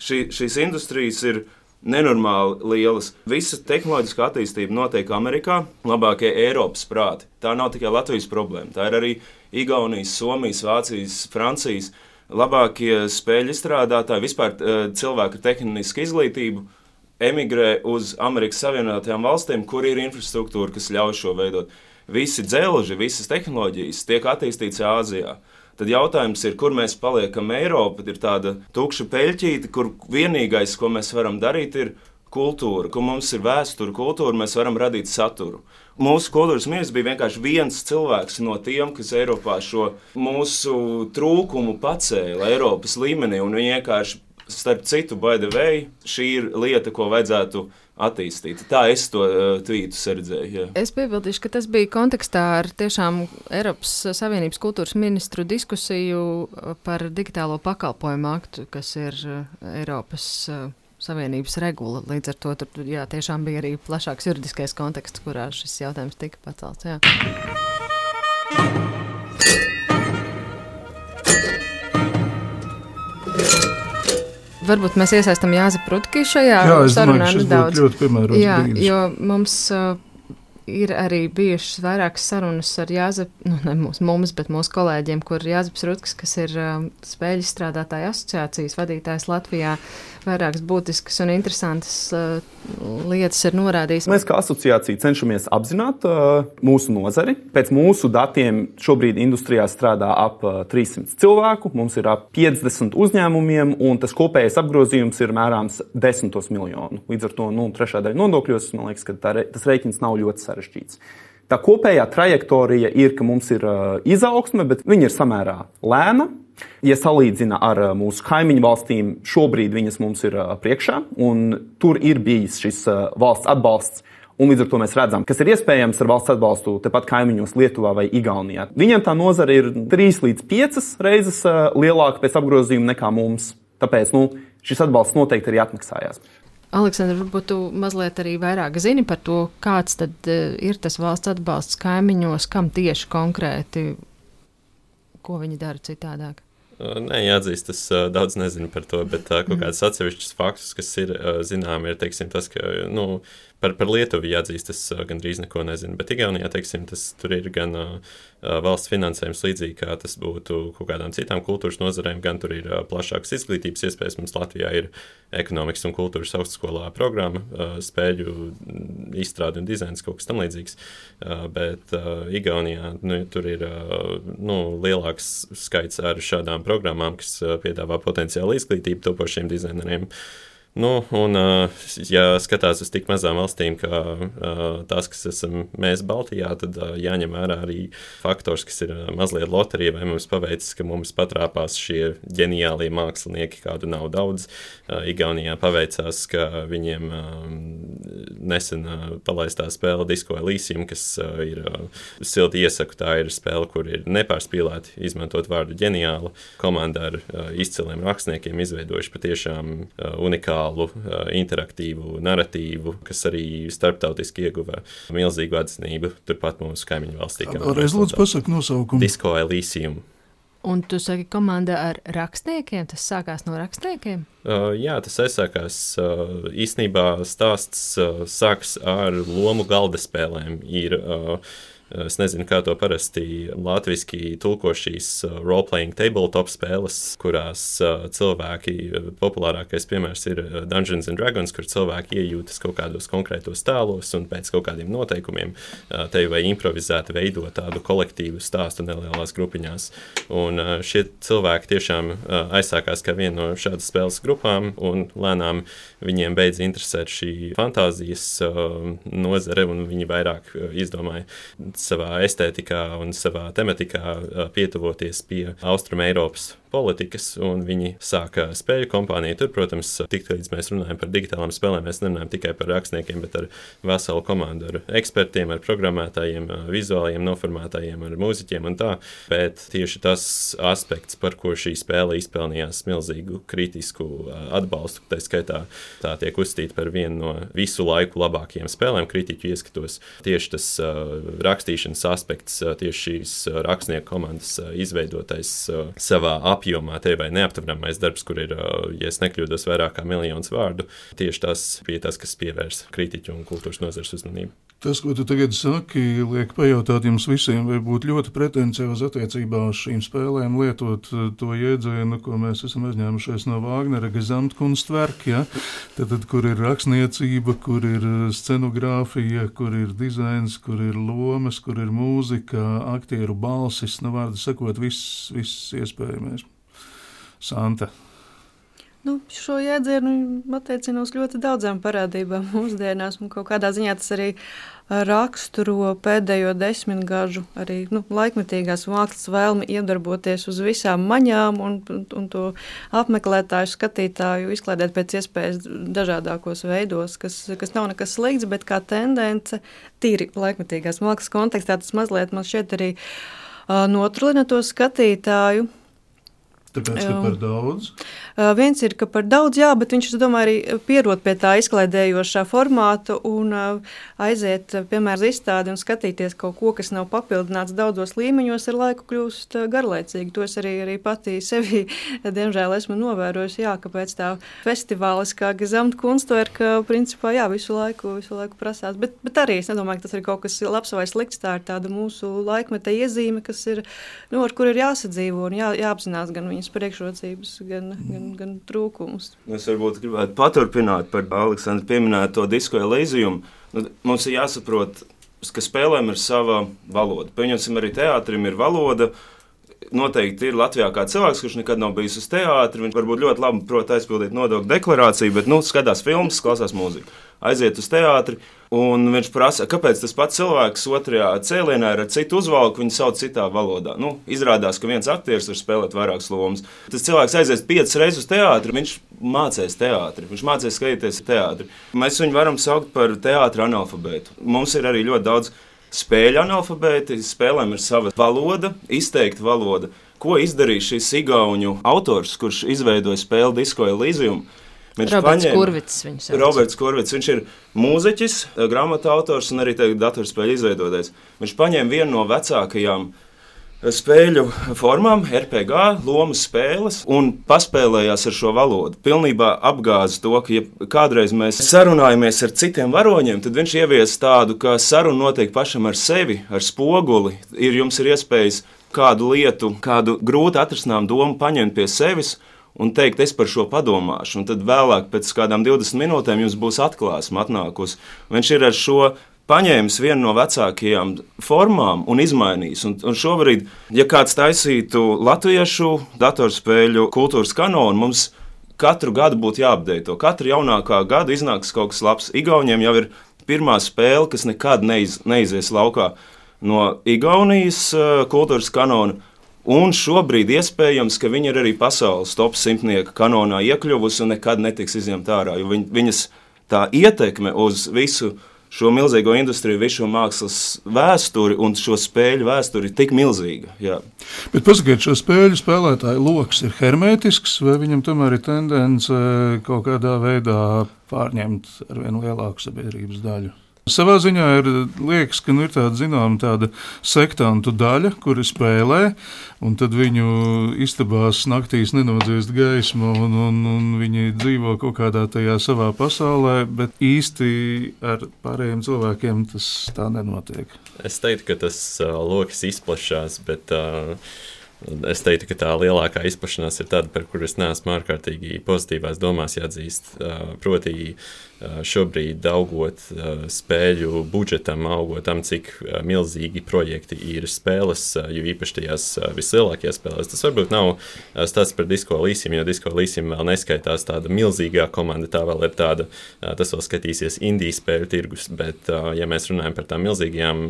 [SPEAKER 6] šīs industrijas ir nenormāli lielas. Visa tehnoloģiskā attīstība notiek Amerikā, labākie Eiropas prāti. Tā nav tikai Latvijas problēma, tā ir arī Igaunijas, Somijas, Vācijas, Francijas labākie spēļu izstrādātāji, vispār cilvēku ar tehnisku izglītību emigrē uz Amerikas Savienotajām valstīm, kur ir infrastruktūra, kas ļauj šo veidot. Visi dzelži, visas tehnoloģijas tiek attīstītas Āzijā. Tad jautājums ir, kur mēs paliekam. Eiropa ir tāda tukša peļķīte, kur vienīgais, ko mēs varam darīt, ir kultūra, kur mums ir vēsture, kultūra, mēs varam radīt saturu. Mūsu kultūras ministrs bija vienkārši viens cilvēks no tiem, kas Eiropā šo mūsu trūkumu pacēla Eiropas līmenī, un viņi vienkārši, starp citu, by the way, šī ir lieta, ko vajadzētu attīstīt. Tā es to tvītu redzēju. Jā.
[SPEAKER 3] Es piebildīšu, ka tas bija kontekstā ar tiešām Eiropas Savienības kultūras ministru diskusiju par digitālo pakalpojumu aktu, kas ir Eiropas Savienības regula. Līdz ar to tur tiešām bija arī plašāks juridiskais konteksts, kurā šis jautājums tika pacelts. Jā. Varbūt mēs iesaistam Jāzepu Rutki šajā sarunā nedaudz.
[SPEAKER 2] Ļoti piemērots brīdis.
[SPEAKER 3] Jo mums ir arī bijušas vairākas sarunas ar Jāzepu, ne mums, bet mūsu kolēģiem, kur Jāzeps Rutkis, kas ir spēļu izstrādātāju asociācijas vadītājs Latvijā, vairākas būtiskas un interesantas lietas ir norādījis.
[SPEAKER 8] Mēs kā asociācija cenšamies apzināt mūsu nozari. Pēc mūsu datiem šobrīd industrijā strādā ap 300 cilvēku, mums ir ap 50 uzņēmumiem, un tas kopējais apgrozījums ir mērāms 10 miljonu. Līdz ar to trešā daļa nodokļos, man liekas, ka tas rēķins nav ļoti sarežģīts. Tā kopējā trajektorija ir, ka mums ir izaugsme, bet viņa ir samērā lēna. Ja salīdzina ar mūsu kaimiņu valstīm, šobrīd viņas mums ir priekšā, un tur ir bijis šis valsts atbalsts, un līdz ar to mēs redzam, kas ir iespējams ar valsts atbalstu tepat kaimiņos Lietuvā vai Igaunijā. Viņiem tā nozara ir 3 līdz 5 reizes lielāka pēc apgrozījuma nekā mums, tāpēc šis atbalsts noteikti arī atmaksājās.
[SPEAKER 3] Aleksandra, varbūt tu mazliet arī vairāk zini par to, kāds tad ir tas valsts atbalsts kaimiņos, kam tieši konkrēti, ko viņi dara citādāk?
[SPEAKER 5] Nē, jāatzīst, es daudz nezinu par to, bet kaut kāds atsevišķs faktus, kas ir zinām, ir, teiksim, tas, ka, par Lietuvu jāatzīst, es gandrīz neko nezinu, bet Igaunijā, teiksim, tur ir gan valsts finansējums līdzīgi, kā tas būtu kaut kādām citām kultūras nozarēm, gan tur ir plašākas izglītības iespējas. Mums Latvijā ir ekonomikas un kultūras augstskolā programma, spēļu izstrāde un dizains, kaut kas tam līdzīgs, bet Igaunijā, tur ir, lielāks skaits ar šādām programmām, kas piedāvā potenciālu izglītību topošiem dizaineriem. Ja skatās uz tik mazām valstīm, kā tās, kas esam mēs Baltijā, tad jāņem vērā arī faktors, kas ir mazliet loterija, vai mums paveicis, ka mums patrāpās šie ģeniālie mākslinieki, kādu nav daudz. Igaunijā paveicās, ka viņiem nesen palaistā spēle Disco Elysium, kas ir silti iesaku, tā ir spēle, kur ir nepārspīlēti izmantot vārdu ģeniālu. Komanda ar izciliem rakstniekiem izveidojuši patiešām unikālu interaktīvu narratīvu, kas arī starptautiski ieguva milzīgu atzinību turpat mūsu kaimiņu valstī.
[SPEAKER 2] Reiz lūdzu pasaka nosaukumu.
[SPEAKER 5] Disco Elysium.
[SPEAKER 3] Un tu saki komanda ar rakstniekiem? Tas sākās no rakstniekiem?
[SPEAKER 5] Jā, tas aizsākās. Īstenībā stāsts sāks ar lomu galda spēlēm. Ir Es nezinu, kā to parasti latviski tulko šīs role-playing tabletop spēles, kurās cilvēki, populārākais piemērs ir Dungeons and Dragons, kur cilvēki iejūtas kaut kādos konkrētos tēlos un pēc kaut kādiem noteikumiem tevi vai improvizēti veidot tādu kolektīvu stāstu nelielās grupiņās. Un šie cilvēki tiešām aizsākās kā viena no šādas spēles grupām, un lēnām viņiem beidz interesēt šī fantāzijas nozare, un viņi vairāk izdomāja savā estētikā un savā tematikā pietuvoties pie Austrum Eiropas politikas, un viņi sāka spēļu kompāniju. Tur, protams, tik līdz mēs runājam par digitālām spēlēm, mēs nerunājam tikai par rakstniekiem, bet ar veselu komandu, ar ekspertiem, ar programmētājiem, vizuāliem noformētājiem, ar mūziķiem un tā. Bet tieši tas aspekts, par ko šī spēle izpelnījās milzīgu kritisku atbalstu, tā skaitā tā tiek uzskatīta par vienu no visu laiku labākajiem spēlēm kritiķu ieskatos. Tieši tas rakstīšanas aspekts, tieši šīs rakstnieku komandas izveidotais savā apjomā, te vai neaptveramais darbs, kur ir, ja es nekļūdos, vairāk kā 1 miljons vārdu, tieši tas bija tas, kas pievērs kritiķu un kultūras nozares uzmanību.
[SPEAKER 2] Tas, ko tu tagad saki, liek pajautāt jums visiem, vai būtu ļoti pretenciozi attiecībā uz šīm spēlēm lietot to jēdzienu, ko mēs esam aizņēmušies no Vāgnera Gesamtkunstwerk, ja? Tad, kur ir rakstniecība, kur ir scenogrāfija, kur ir dizains, kur ir lomas, kur ir mūzika, aktieru balsis, vārdu sakot, viss iespējamais. Santa.
[SPEAKER 4] Šo jēdzienu attiecina uz ļoti daudzām parādībām mūsdienās, un kaut kādā ziņā tas arī raksturo pēdējo 10 gažu arī laikmetīgās mākslas vēlmi iedarboties uz visām maņām un to apmeklētāju, skatītāju izklaidēt pēc iespējas dažādākos veidos, kas nav nekas slikts, bet kā tendence tīri laikmetīgās mākslas kontekstā tas mazliet man šķiet arī notrulina to skatītāju.
[SPEAKER 2] Tāpēc, ka par daudz?
[SPEAKER 4] Viens ir, ka par daudz, jā, bet viņš, es domāju, arī pierod pie tā izklaidējošā formāta un aiziet, piemēram, izstādi un skatīties kaut ko, kas nav papildināts daudzos līmeņos, ar laiku kļūst garlaicīgi. To es arī patī sevi, diemžēl, esmu novērojusi, jā, ka pēc tā festivāliskā Gesamtkunstwerk, principā, jā, visu laiku prasās. Bet arī es nedomāju, ka tas ir kaut kas labs vai slikts, tā ir tāda mūsu laikmeta iezīme, kas ir, ar kur ir jāsadzīvo un jāapzinās gan viņas priekšrocības, gan trūkumus.
[SPEAKER 6] Es varbūt gribētu paturpināt par Aleksandru pieminēto Disco Elysium. Mums ir jāsaprot, ka spēlēm ir sava valoda. Pieņemsim, arī teātrim ir valoda. Noteikti ir Latvijā kā cilvēks, kurš nekad nav bijis uz teātri. Viņš varbūt ļoti labi prot aizpildīt nodokļu deklarāciju, bet skatās filmas, klausās mūziku. Aiziet uz teātri, un viņš prasa, kāpēc tas pats cilvēks otrajā cēlienā ir ar citu uzvalku, viņu sauc citā valodā. Izrādās, ka viens aktieris var spēlēt vairākas lomas. Tas cilvēks aizies 5 reizes uz teātri, viņš mācīs teātri, viņš mācīs skatīties teātri. Mēs viņu varam saukt par teātra analfabētu. Mums ir arī ļoti daudz spēļu analfabēti, spēlēm ir sava valoda, izteikta valoda. Ko izdarīja šis igauņu autors, kurš izveidoja spēli Disco Elysium? Roberts Kurvits, viņš ir mūziķis, grāmatu autors un arī datorspēļu izveidotājs. Viņš paņēma vienu no vecākajām spēļu formām, RPG, lomas spēles, un paspēlējās ar šo valodu. Pilnībā apgāza to, ka ja kādreiz mēs sarunājamies ar citiem varoņiem, tad viņš ievies tādu, ka saruna notiek pašam ar sevi, ar spoguli. Jums ir iespējas kādu lietu, kādu grūti atrisinām domu paņemt pie sevis un teikt, es par šo padomāšu. Un tad vēlāk, pēc kādām 20 minūtēm, jums būs atklāsme atnākusi. Viņš ir ar šo paņēmis vienu no vecākajām formām un izmainījis. Un šobrīd, ja kāds taisītu latviešu datorspēļu kultūras kanonu, mums katru gadu būtu jāapdeito. Katru jaunākā gadu iznāks kaut kas labs. Igauniem jau ir pirmā spēle, kas nekad neizies laukā no Igaunijas kultūras kanona. Un šobrīd iespējams, ka viņa ir arī pasaules top 100 kanonā iekļuvusi un nekad netiks izņemta ārā. Jo viņas tā ietekme uz visu šo milzīgo industriju, visu šo mākslas vēsturi un šo spēļu vēsturi ir tik milzīga. Jā.
[SPEAKER 2] Bet pasakiet, šo spēļu spēlētāju loks ir hermētisks, vai viņam tomēr ir tendence kaut kādā veidā pārņemt ar vien lielāku sabiedrības daļu? Savā ziņā liekas, ka ir tāda sektantu daļa, kuri spēlē, un tad viņu istabās naktīs nenodziest gaismu, un viņi dzīvo kaut kādā tajā savā pasaulē, bet īsti ar pārējiem cilvēkiem tas tā nenotiek.
[SPEAKER 5] Es teiktu, ka tas lokas izplašās, bet es teiktu, ka tā lielākā izplašanās ir tāda, par kuru es neesmu ārkārtīgi pozitīvās domās jāatzīst. Proti, šobrīd augot spēļu budžetam, augot tam, cik milzīgi projekti ir spēles, jo īpaši tajās vislielākajās spēlēs. Tas varbūt nav stāsts par Disco Elysium, jo Disco Elysium vēl neskaitās tāda milzīgā komanda, tā vēl ir tāda, tas vēl skatīsies indiju spēļu tirgus, bet ja mēs runājam par tām milzīgajām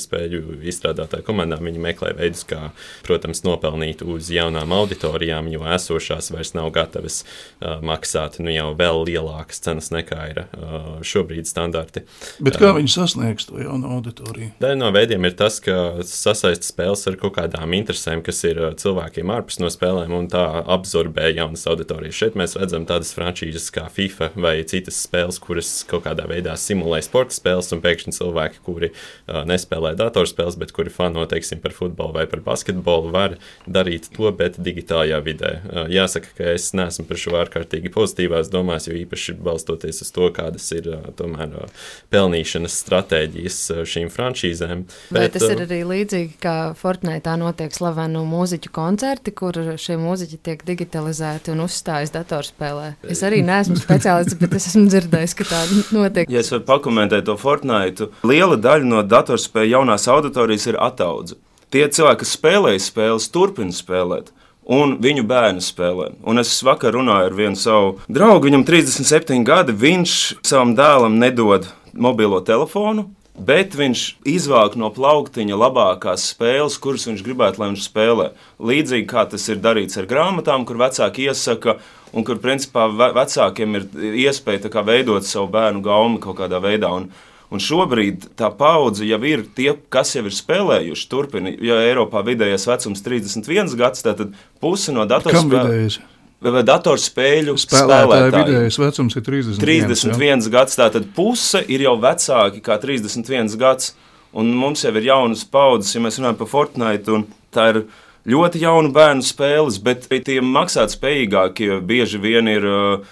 [SPEAKER 5] spēļu izstrādātāju komandām, viņi meklē veidus, kā, protams, nopelnīt uz jaunām auditorijām, jo esošās vairs nav gatavas maksāt jau vēl lielākas cenas nekā ir šobrīd standarti.
[SPEAKER 2] Bet kā viņi sasniegs to jaunu auditoriju?
[SPEAKER 5] Daļa no veidiem ir tas, ka sasaista spēles ar kaut kādām interesēm, kas ir cilvēkiem ārpus no spēlēm un tā absorbē jaunas auditorijas. Šeit mēs redzam tādas frančīzes kā FIFA vai citas spēles, kuras kaut kādā veidā simulē sporta spēles un pēkšņi cilvēki, kuri nespēlē datorspēles, bet kuri fano, teiksim, par futbolu vai par basketbolu, var darīt to, bet digitālajā vidē. Jāsaka, ka es neesmu par šo ārkārtīgi pozitīvās domās, jo īpaši balstoties uz to, kādas ir tomēr pelnīšanas stratēģijas šīm franšīzēm.
[SPEAKER 3] Vai tas ir arī līdzīgi, kā Fortnite notiek slavenu mūziķu koncerti, kur šie mūziķi tiek digitalizēti un uzstājas datorspēlē? Es arī neesmu speciālists, bet es esmu dzirdējis, ka tā notiek.
[SPEAKER 6] Ja es varu pakomentēt to Fortnite, liela daļa no datorspēļu jaunās auditorijas ir ataudze. Tie cilvēki, kas spēlēja spēles, turpina spēlēt. Un viņu bērni spēlē. Un es vakar runāju ar vienu savu draugu, viņam 37 gadi, viņš savam dēlam nedod mobilo telefonu, bet viņš izvāk no plauktiņa labākās spēles, kuras viņš gribētu, lai viņš spēlē. Līdzīgi kā tas ir darīts ar grāmatām, kur vecāki iesaka, un kur principā vecākiem ir iespēja tā kā veidot savu bērnu gaumi kaut kādā veidā. Un šobrīd tā paudze jau ir tie, kas jau ir spēlējuši, turpina, jo Eiropā vidējais vecums 31 gads, tātad pusi no datorspēļu spēlētāju
[SPEAKER 2] vidējais vecums ir
[SPEAKER 6] 31 gads, tātad puse ir jau vecāki kā 31 gads, un mums jau ir jaunas paudzes, ja mēs runājam par Fortnite, un tā ir ļoti jaunu bērnu spēles, bet tie maksātspējīgākie bieži vien ir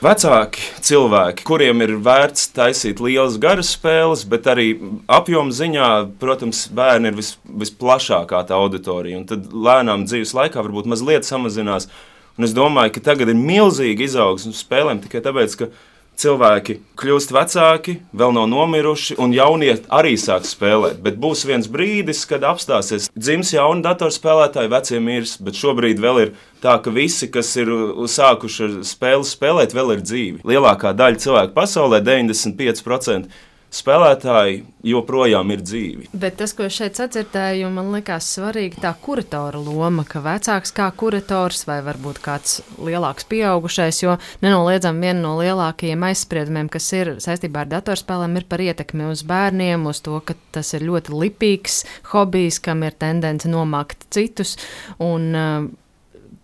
[SPEAKER 6] vecāki cilvēki, kuriem ir vērts taisīt lielas garas spēles, bet arī apjoma ziņā, protams, bērni ir visplašākā tā auditorija. Un tad lēnām dzīves laikā varbūt mazliet samazinās. Un es domāju, ka tagad ir milzīgi izaugsme spēlēm tikai tāpēc, ka cilvēki kļūst vecāki, vēl nav nomiruši, un jaunie arī sāk spēlēt. Bet būs viens brīdis, kad apstāsies dzims jauni datorspēlētāji, vecie mirs, bet šobrīd vēl ir tā, ka visi, kas ir sākuši spēles spēlēt, vēl ir dzīvi. Lielākā daļa cilvēku pasaulē, 95%, spēlētāji joprojām ir dzīvi.
[SPEAKER 3] Bet tas, ko es šeit sadzirdēju, man likās svarīgi tā kuratora loma, ka vecāks kā kurators vai varbūt kāds lielāks pieaugušais, jo nenoliedzam viena no lielākajiem aizspriedumiem, kas ir saistībā ar datorspēlēm, ir par ietekmi uz bērniem, uz to, ka tas ir ļoti lipīgs hobijs, kam ir tendence nomākt citus, un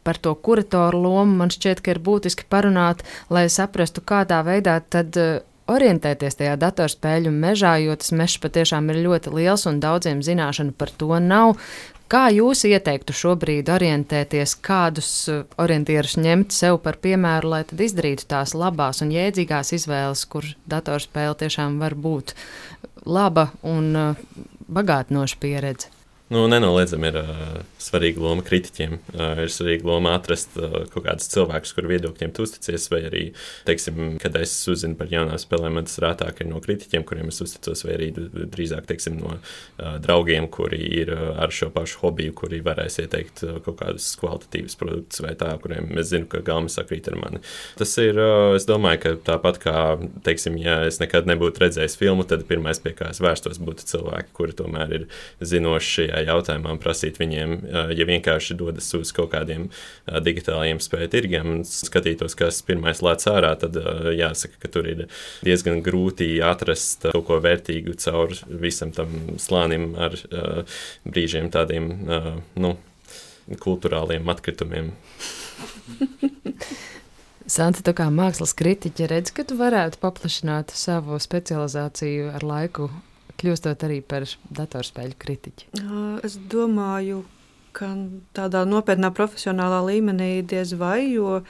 [SPEAKER 3] par to kuratoru lomu man šķiet, ka ir būtiski parunāt, lai saprastu, kādā veidā tad orientēties tajā datorspēļu mežā, jo tas mežs patiešām ir ļoti liels un daudziem zināšanu par to nav. Kā jūs ieteiktu šobrīd orientēties, kādus orientierus ņemt sev par piemēru, lai tad izdarītu tās labās un jēdzīgās izvēles, kur datorspēle tiešām var būt laba un bagātinoša pieredze?
[SPEAKER 5] Nenoliedzami ir svarīga loma kritiķiem. Ir svarīga loma atrast kaut kādus cilvēkus, kuru viedokļiem tu uzticies, vai arī, teiksim, kad es uzzinu par jaunām spēlēm, man tas rētāk ir no kritiķiem, kuriem es uzticos, vai arī drīzāk, teiksim, no draugiem, kuri ir ar šo pašu hobiju, kuri varēs ieteikt kaut kādus kvalitatīvus produktus vai tā, kuriem es zinu, ka galma sakrīt ar mani. Tas ir, es domāju, ka tāpat kā, teiksim, ja es nekad nebūtu redzējis filmu, tad pirmais, pie kā es vērstos, būtu cilvēki, kuri tomēr ir zinoši šajā jautājumā, prasīt viņiem, ja vienkārši dodas uz kaut kādiem digitālajiem spēļu tirgiem un skatītos, kas pirmais lēc ārā, tad jāsaka, ka tur ir diezgan grūti atrast kaut ko vērtīgu caur visam tam slānim ar brīžiem tādiem, kulturāliem atkritumiem.
[SPEAKER 3] Santa, tu kā mākslas kritiķe redzi, ka tu varētu paplašināt savu specializāciju ar laiku kļūstot arī par datorspēļu kritiķi?
[SPEAKER 4] Es domāju, ka tādā nopietnā profesionālā līmenī diez vai, jo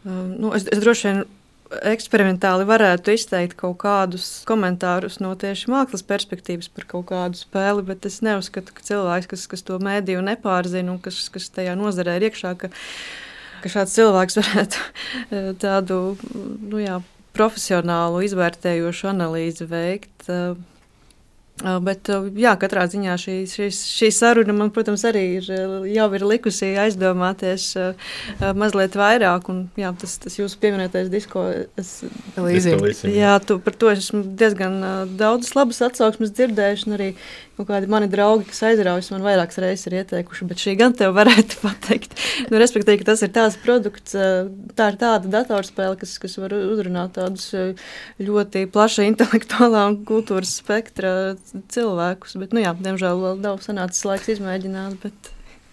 [SPEAKER 4] es droši vien eksperimentāli varētu izteikt kaut kādus komentārus no tieši mākslas perspektīvas par kaut kādu spēli, bet es neuzskatu, ka cilvēks, kas to mēdīju nepārzina un kas tajā nozarē ir iekšā, ka šāds cilvēks varētu tādu profesionālu izvērtējošu analīzi veikt. Bet, katrā ziņā šī saruna man, protams, arī jau ir likusi aizdomāties mazliet vairāk. Un, tas jūsu pieminētais disko līzija. Jā, par to esmu diezgan daudzas labas atsauksmes dzirdējuši, un arī kaut kādi mani draugi, kas aizraujas, man vairākas reizes ir ieteikuši, bet šī gan tev varētu pateikt. Respektīvi, ka tas ir tāds produkts, tā ir tāda datorspēle, kas var uzrunāt tādus ļoti plaša intelektuālā un kultūras spektra cilvēkus, bet, diemžēl vēl nav sanācis laiks izmēģināt,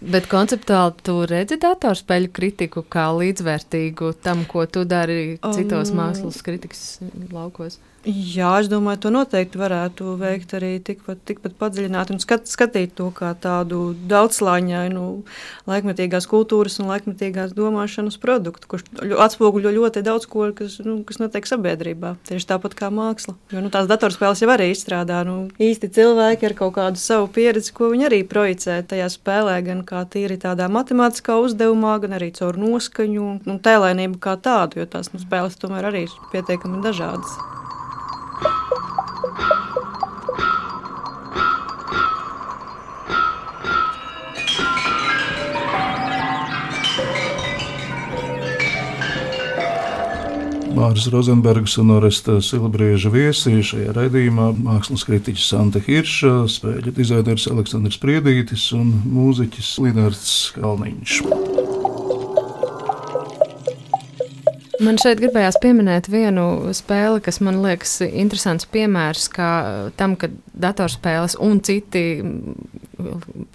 [SPEAKER 3] Bet konceptuāli tu redzi datorspēļu kritiku kā līdzvērtīgu tam, ko tu dari citos mākslas kritikas laukos?
[SPEAKER 4] Jā, es domāju, to noteikti varētu veikt arī tikpat padziļināt un skatīt to kā tādu daudzslāņainu laikmetīgās kultūras un laikmetīgās domāšanas produktu, kurš atspoguļo ļoti daudz ko, kas notiek sabiedrībā. Tieši tāpat kā māksla. Jo tās datorspēles jau arī izstrādā īsti cilvēki ar kaut kādu savu pieredzi, ko viņi arī projicē tajā spēlē, gan kā tīri tādā matemātiskā uzdevumā, gan arī caur noskaņu un tēlainību kā tādu, jo tās spēles tomēr arī ir pietiekami dažādas.
[SPEAKER 2] Māris Rozenbergs un Oresta Silabrieža viesi šajā raidījumā mākslas kritiķis Santa Hirša, spēļu dizainers Aleksandrs Priedītis un mūziķis Linards Kalniņš.
[SPEAKER 3] Man šeit gribējās pieminēt vienu spēli, kas man liekas interesants piemērs tam, ka datorspēles un citi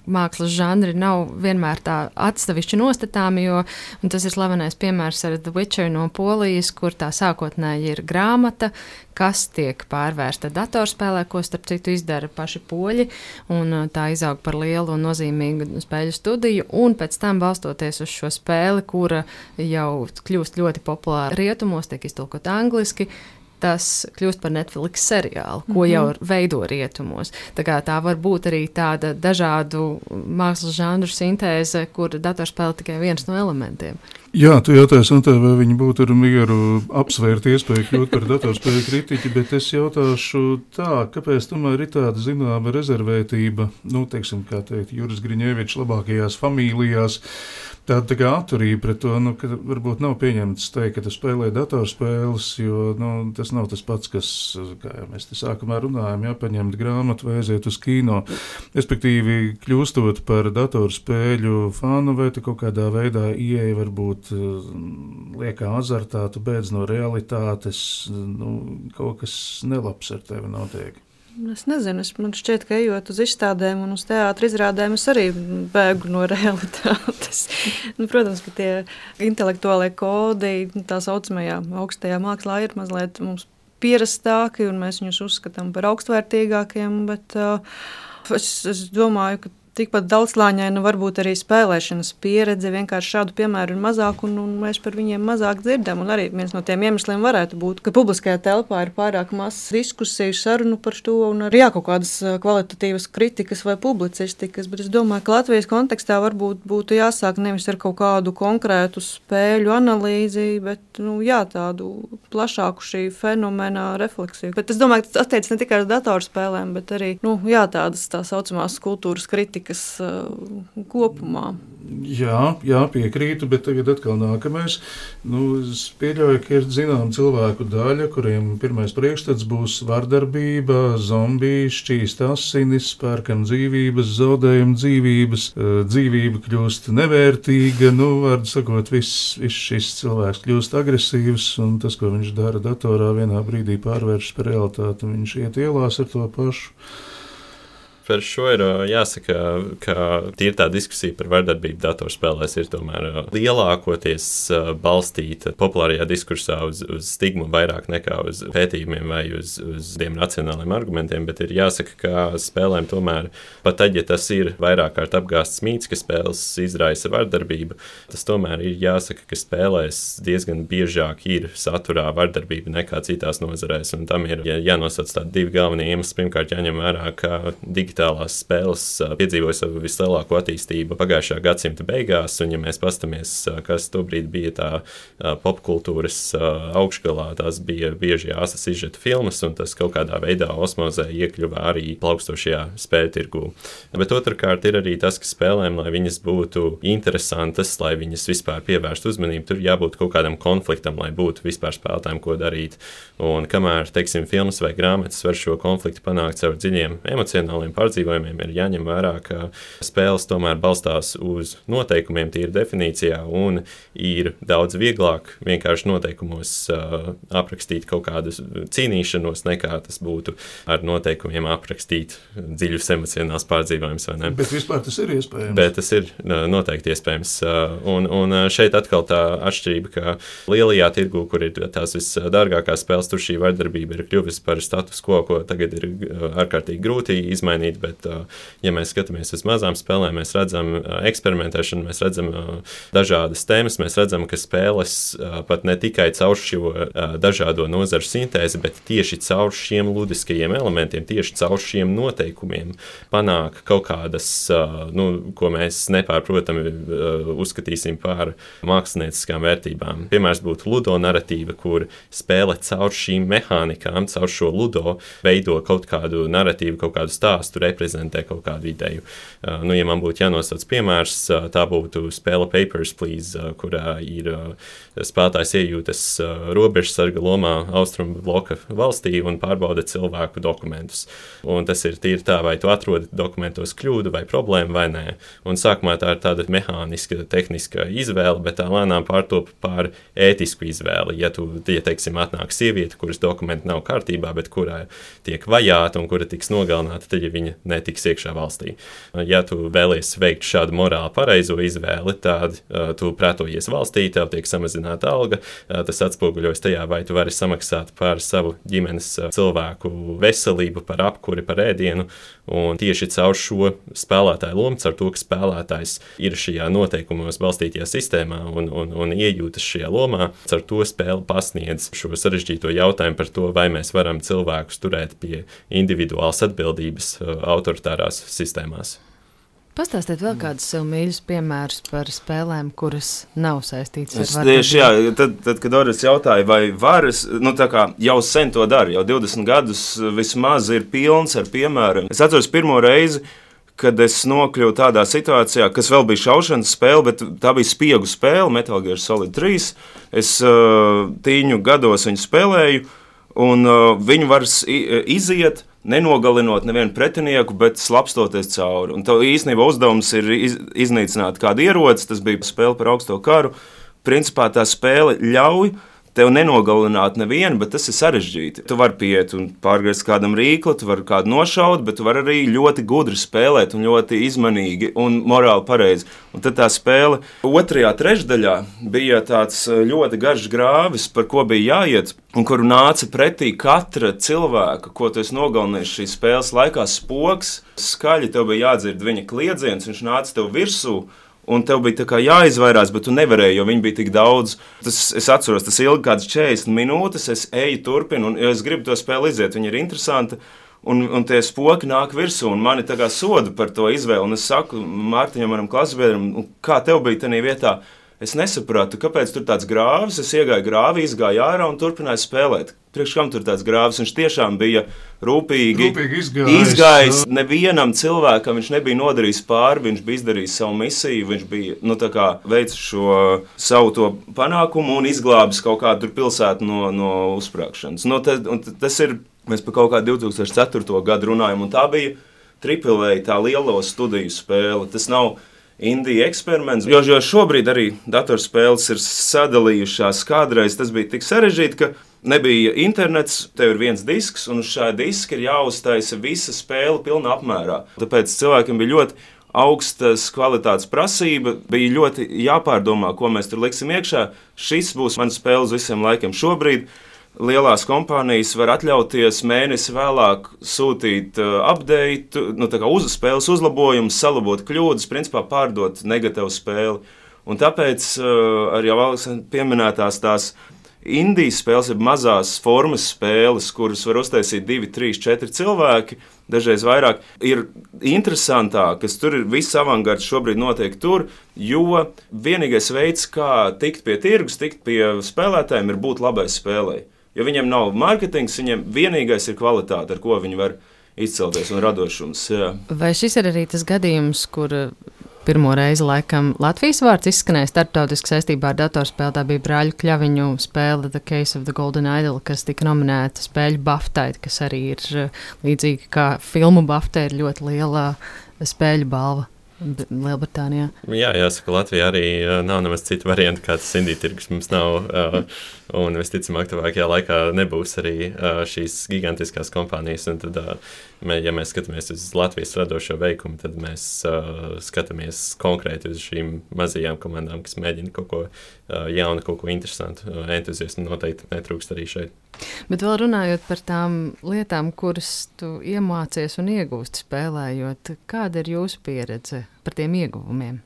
[SPEAKER 3] mākslas žanri nav vienmēr tā atsevišķi nostatāmi, un tas ir slavenais piemērs ar The Witcher no Polijas, kur tā sākotnēji ir grāmata, kas tiek pārvērsta datorspēlē, ko starp citu izdara paši poļi, un tā izaug par lielu un nozīmīgu spēļu studiju, un pēc tam balstoties uz šo spēli, kura jau kļūst ļoti populāra rietumos, tiek iztulkot angliski, tas kļūst par Netflix seriālu, ko jau veido rietumos. Tā var būt arī tāda dažādu mākslas žanru sintēze, kur datorspēle tikai viens no elementiem.
[SPEAKER 2] Jā, tu jautāji, Santē, vai viņi būtu ar mieru apsvērt iespēju kļūt par datorspēļu kritiķi, bet es jautāšu tā, kāpēc tomēr ir tāda zināma rezervētība, teiksim, kā teikt, Juris Griņevičs labākajās familijās, tāda kā atturība pret to, ka varbūt nav pieņemts teikt, ka tu spēlē datorspēles, jo tas nav tas pats, kas, kā jau mēs te sākumā runājam, paņemt grāmatu vai aiziet uz kino. Respektīvi, kļūstot par datorspēļu fanu, vai tu kaut kādā veidā ieeja varbūt liekā azartā, tu beidz no realitātes, kaut kas nelabs ar tevi notiek.
[SPEAKER 4] Es nezinu, man šķiet, ka ejot uz izstādēm un uz teātra izrādēm, es arī bēgu no realitātes. Protams, ka tie intelektuālie kodi, tā saucamajā augstajā mākslā ir mazliet mums pierastāki, un mēs viņus uzskatām par augstvērtīgākiem, bet es domāju, ka tikpat daudzslāņaina var būt arī spēlēšanas pieredze, vienkārši šādu piemēru ir mazāk, un mēs par viņiem mazāk dzirdam. Un arī viens no tiem iemesliem varētu būt, ka publiskajā telpā ir pārāk maz diskusiju, sarunu par to, un arī kaut kādas kvalitatīvas kritikas vai publicistikas. Bet es domāju, ka Latvijas kontekstā varbūt būtu jāsāk nevis ar kaut kādu konkrētu spēļu analīzi, bet tādu plašāku šī fenomena refleksiju. Bet es domāju, ka tas attiecas ne tikai uz datorspēlēm, bet arī tādas tā saucamās kultūras kritikas kopumā.
[SPEAKER 2] Jā, piekrītu, bet tagad atkal nākamais. Es pieļauju, ka ir zinām cilvēku daļa, kuriem pirmais priekšstats būs vardarbība, zombiji, šķīst asinis, pērkam dzīvības, zaudējam dzīvības, dzīvība kļūst nevērtīga, vārdu sakot, viss šis cilvēks kļūst agresīvs, un tas, ko viņš dara datorā, vienā brīdī pārvēršas par realitāti, un viņš iet ielās ar to pašu.
[SPEAKER 5] Par šo ir jāsaka, ka tīri tā diskusija par vardarbību datorspēlēs ir tomēr lielākoties balstīta populārajā diskursā uz stigmu vairāk nekā uz pētījumiem vai uz tiem racionāliem argumentiem, bet ir jāsaka, ka spēlēm tomēr, pat tad, ja tas ir vairāk kārt apgāsts mīts, ka spēles izraisa vardarbību, tas tomēr ir jāsaka, ka spēlēs diezgan biežāk ir saturā vardarbība nekā citās nozarēs, un tam ir jānosauc tādi divi galvenie iemesli. Pirmkārt, jāņem vērā, ka digitālās spēles piedzīvoja savu vislielāko attīstību pagājušā gadsimta beigās, un ja mēs pastamies, kas tobrīd bija tā popkultūras augšgalā, tās bija bieži āsas izžeta filmas, un tas kaut kādā veidā osmozē iekļuva arī plaukstošajā spēļu tirgū. Bet otrkārt ir arī tas, ka spēlēm, lai viņas būtu interesantas, lai viņas vispār pievērst uzmanību, tur jābūt kaut kādam konfliktam, lai būtu vispār spēlētājiem ko darīt. Un kamēr, teiksim, filmas vai grāmatas var šo konfliktu panākt caur dziļiem emocionāliem pārdzīvojumiem, ir jāņem vērā, ka spēles tomēr balstās uz noteikumiem tīri definīcijā un ir daudz vieglāk vienkārši noteikumos aprakstīt kaut kādu cīnīšanos, nekā tas būtu ar noteikumiem aprakstīt dziļus emocionālus pārdzīvojumus, vai ne?
[SPEAKER 2] Bet vispār tas ir iespējams.
[SPEAKER 5] Bet tas ir noteikti iespējams. Un šeit atkal tā atšķirība, ka lielajā tirgū, kur ir tās visdārgākās spēles, tur šī vardarbība ir kļuvis par status quo, ko tagad ir ārkārtīgi grūti izmainīt, bet ja mēs skatāmies uz mazām spēlēm, mēs redzam eksperimentēšanu, mēs redzam dažādas tēmas, mēs redzam, ka spēles pat ne tikai caur šo dažādo nozaru sintēzi, bet tieši caur šiem ludiskajiem elementiem, tieši caur šiem noteikumiem panāk kaut kādas, ko mēs nepārprotami uzskatīsim par mākslinieckām vērtībām. Piemērs būtu ludo narratīva, kur spēle caur šīm mehānikām, caur šo ludo veido kaut kādu narratīvu, kaut kādu stāstu, reprezentē kaut kādu ideju. Ja man būtu jānosauc piemērs, tā būtu spēle Papers, Please, kurā ir spēlētājs iejūtas robežsarga lomā austrumu bloka valstī un pārbauda cilvēku dokumentus. Un tas ir tīri tā, vai tu atrodi dokumentos kļūdu vai problēmu vai nē. Un sākumā tā ir tāda mehāniska, tehniska izvēle, bet tā lēnām pārtop par ētisku izvēli. Ja teiksim, atnāk sieviete, kuras dokumenti nav kārtībā, bet kurā tiek vajāta un kura tiks nogalināta, tad ja viņa netiks iekšā valstī. Ja tu vēlies veikt šādu morāli pareizo izvēli, tad tu pretojies valstī, tev tiek samazināta alga, tas atspoguļojas tajā, vai tu vari samaksāt par savu ģimenes cilvēku veselību, par apkuri, par ēdienu, un tieši caur šo spēlētāju lomu, caur to, ka spēlētājs ir šajā noteikumos balstītajā sistēmā un iejūtas šajā lomā, caur to spēle pasniedz šo sarežģīto jautājumu par to, vai mēs varam cilvēkus turēt pie individuālas atbildības autoritārās sistēmās.
[SPEAKER 3] Pastāstiet vēl kādus sev mīļus piemērus par spēlēm, kuras nav saistītas ar vardarbību.
[SPEAKER 6] Tieši, jā, tad, kad Doris jautāja, vai varas, tā kā jau sen to dara, jau 20 gadus vismaz ir pilns ar piemēriem. Es atceros pirmo reizi, kad es nokļuvu tādā situācijā, kas vēl bija šaušanas spēle, bet tā bija spiegu spēle, Metal Gear Solid 3. Es tīņu gados viņu spēlēju, un viņu var iziet, nenogalinot nevienu pretinieku, bet slapstoties cauri. Un tev īstenībā uzdevums ir iznīcināt kādu ieroci, tas bija spēle par augsto karu. Principā tā spēle ļauj tev nenogalināt nevienu, bet tas ir sarežģīti. Tu vari pieiet un pārgriezt kādam rīkli, tu vari kādu nošaut, bet tu vari arī ļoti gudri spēlēt un ļoti izmanīgi un morāli pareizi. Un tad tā spēle otrajā trešdaļā bija tāds ļoti garš grāvis, par ko bija jāiet, un kuru nāca pretī katra cilvēka, ko tu esi nogalinājis šīs spēles laikā, spoks, skaļi tev bija jādzird viņa kliedziens, viņš nāca tev virsū, un tev bija tā kā jāizvairās, bet tu nevarēji, jo viņi bija tik daudz. Es atceros, tas ilgi kāds 40 minūtes, es eju turpinu, un ja es gribu to spēli iziet, viņa ir interesanta, un tie spoki nāk virsū, un mani tā kā soda par to izvēli, un es saku Mārtiņam, manam klasbiedram, kā tev bija tajā vietā? Es nesapratu, kāpēc tur tāds grāvis, es iegāju grāvī, izgāju ārā un turpināju spēlēt. Priekš kam tur tāds grāvis, viņš tiešām bija rūpīgi izgājis. Nevienam cilvēkam viņš nebija nodarījis pāri, viņš bija izdarījis savu misiju, viņš bija veicis šo savu to panākumu un izglābis kaut kādu pilsētu no uzsprāgšanas. Tas ir, mēs par kaut kādu 2004. gadu runājam, un tā bija AAA, tā lielo studiju spēle. Tas nav indija eksperiments, jo šobrīd arī datorspēles ir sadalījušās. Kādreiz tas bija tik sarežģīti, ka nebija internets, tev ir viens disks, un uz šā diska ir jāuztaisa visa spēle pilnā apmērā. Tāpēc cilvēkiem bija ļoti augstas kvalitātes prasība, bija ļoti jāpārdomā, ko mēs tur liksim iekšā. Šis būs mans spēle uz visiem laikiem. Šobrīd lielās kompānijas var atļauties mēnesi vēlāk sūtīt update, spēles uzlabojumus, salabot kļūdas, principā pārdot negatīvu spēli. Un tāpēc arī jau Aleksandra pieminētās tās indijas spēles, ir mazās formas spēles, kuras var uztaisīt 2, 3, 4 cilvēki, dažreiz vairāk, ir interesantākas. Tur ir viss avangards šobrīd notiek tur, jo vienīgais veids, kā tikt pie tirgus, tikt pie spēlētājiem, ir būt labai spēlei. Jo viņiem nav mārketings, viņiem vienīgais ir kvalitāte, ar ko viņi var izcelties un radošums. Jā.
[SPEAKER 3] Vai šis ir arī tas gadījums, kur pirmo reizi laikam Latvijas vārds izskanēja starptautiski saistībā ar datorspēli? Tā bija Brāļu Kļaviņu spēle The Case of the Golden Idol, kas tika nominēta spēļu BAFTA, kas arī ir līdzīgi kā filmu BAFTA, ir ļoti liela spēļu balva Lielbritānijā.
[SPEAKER 5] Jā, jāsaka, Latvijā arī nav nemaz citu variantu, kā tas indiju tirgus mums nav. Un visticamāk, tuvākajā laikā nebūs arī šīs gigantiskās kompānijas. Un tad, ja mēs skatāmies uz Latvijas radošo veikumu, tad mēs skatāmies konkrēti uz šīm mazajām komandām, kas mēģina kaut ko jaunu, kaut ko interesantu. Entuziasmu noteikti netrūkst arī šeit.
[SPEAKER 3] Bet vēl runājot par tām lietām, kuras tu iemācies un iegūsti spēlējot, kāda ir jūsu pieredze par tiem ieguvumiem?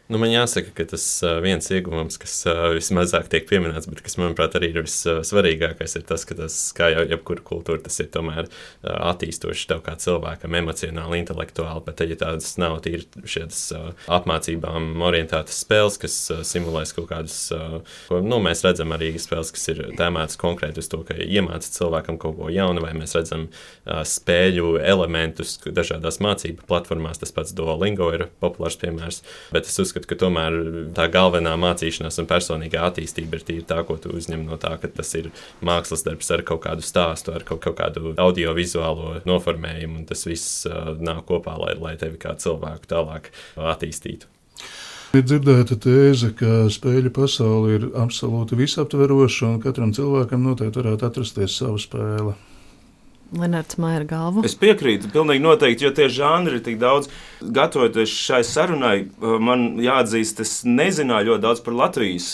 [SPEAKER 5] Man jāsaka, ka tas viens ieguvums, kas vismazāk tiek pieminēts, bet kas, manuprāt, arī ir vissvarīgākais, ir tas, ka tas, kā jau jebkura kultūra, tas ir tomēr attīstoši tev kā cilvēkam, emocionāli, intelektuāli, bet tad, ja tādas nav tīri šādas apmācībām orientētas spēles, kas simulēs kaut kādus, mēs redzam arī spēles, kas ir tēmētas konkrēti uz to, ka iemāca cilvēkam kaut ko jaunu, vai mēs redzam spēļu elementus dažādās mācību platformās, tas pats Duolingo ir populārs piemērs, bet es uzskatu, ka tomēr tā galvenā mācīšanās un personīgā attīstība ir tīri tā, ko tu uzņem no tā, ka tas ir mākslas darbs ar kaut kādu stāstu, ar kaut kādu audiovizuālo noformējumu, un tas viss nāk kopā, lai tevi kā cilvēku tālāk attīstītu.
[SPEAKER 2] Ir dzirdēta tēze, ka spēļu pasaule ir absolūti visaptveroša, un katram cilvēkam noteikti varētu atrasties savu spēli.
[SPEAKER 3] Lenards māja ar galvu.
[SPEAKER 6] Es piekrītu, pilnīgi noteikti, jo tie žanri ir tik daudz. Gatavoties šai sarunai, man jāatzīst, es nezināju ļoti daudz par Latvijas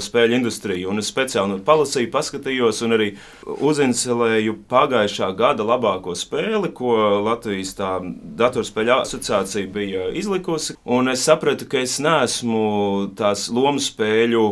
[SPEAKER 6] spēļu industriju, un es speciāli palasīju, paskatījos un arī uzinselēju pagājušā gada labāko spēli, ko Latvijas tā datorspēļu asociācija bija izlikusi, un es sapratu, ka es neesmu tās lomu spēļu.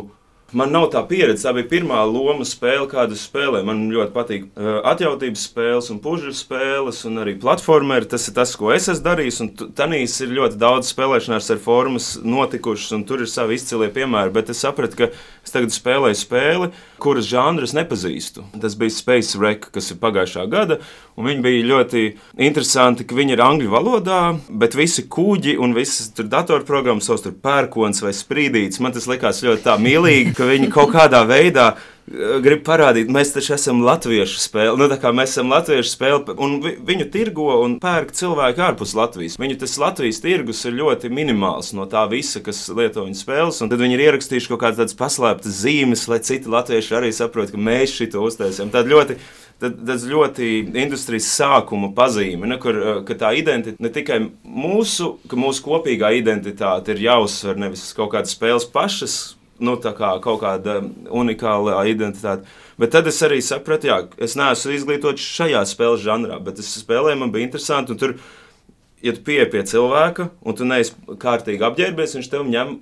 [SPEAKER 6] Man nav tā pieredze, tā bija pirmā loma spēle, kādu spēlēju. Man ļoti patīk atjautības spēles un pužu spēles un arī platformeri. Tas ir tas, ko es esmu darījis, un tanīs ir ļoti daudz spēlēšanās ar formas notikušas, un tur ir savi izcilie piemēri, bet es sapratu, ka es tagad spēlēju spēli, kuras žanru es nepazīstu. Tas bija Space Wreck, kas ir pagājušā gada, un viņi bija ļoti interesanti, ka viņi ir angļu valodā, bet visi kuģi un visas tur datorprogrammas savs tur pērkons vai sprīdīts. Man tas likās ļoti tā mīlīgi, ka viņi kaut kādā veidā grib parādīt, mēs taču esam latviešu spēle. Mēs esam latviešu spēle, un viņu tirgo un pērk cilvēki ārpus Latvijas. Viņu tas Latvijas tirgus ir ļoti minimāls no tā visa, kas lieto viņu spēles, un tad viņi ir ierakstījuši kaut kādas paslēptas zīmes, lai citi latvieši arī saprot, ka mēs šito uztaisījām. Tas ļoti industrijas sākuma pazīme, ka tā identitāte ne tikai mūsu kopīgā identitāte ir jāuzsver, nevis kaut kādas spēles pašas, kaut kāda unikāla identitāte. Bet tad es arī sapratu, es neesmu izglītots šajā spēles žanrā, bet es spēlēju, man bija interesanti, un tur, ja tu pieeji pie cilvēka, un tu neesi kārtīgi apģērbies, viņš tev ņem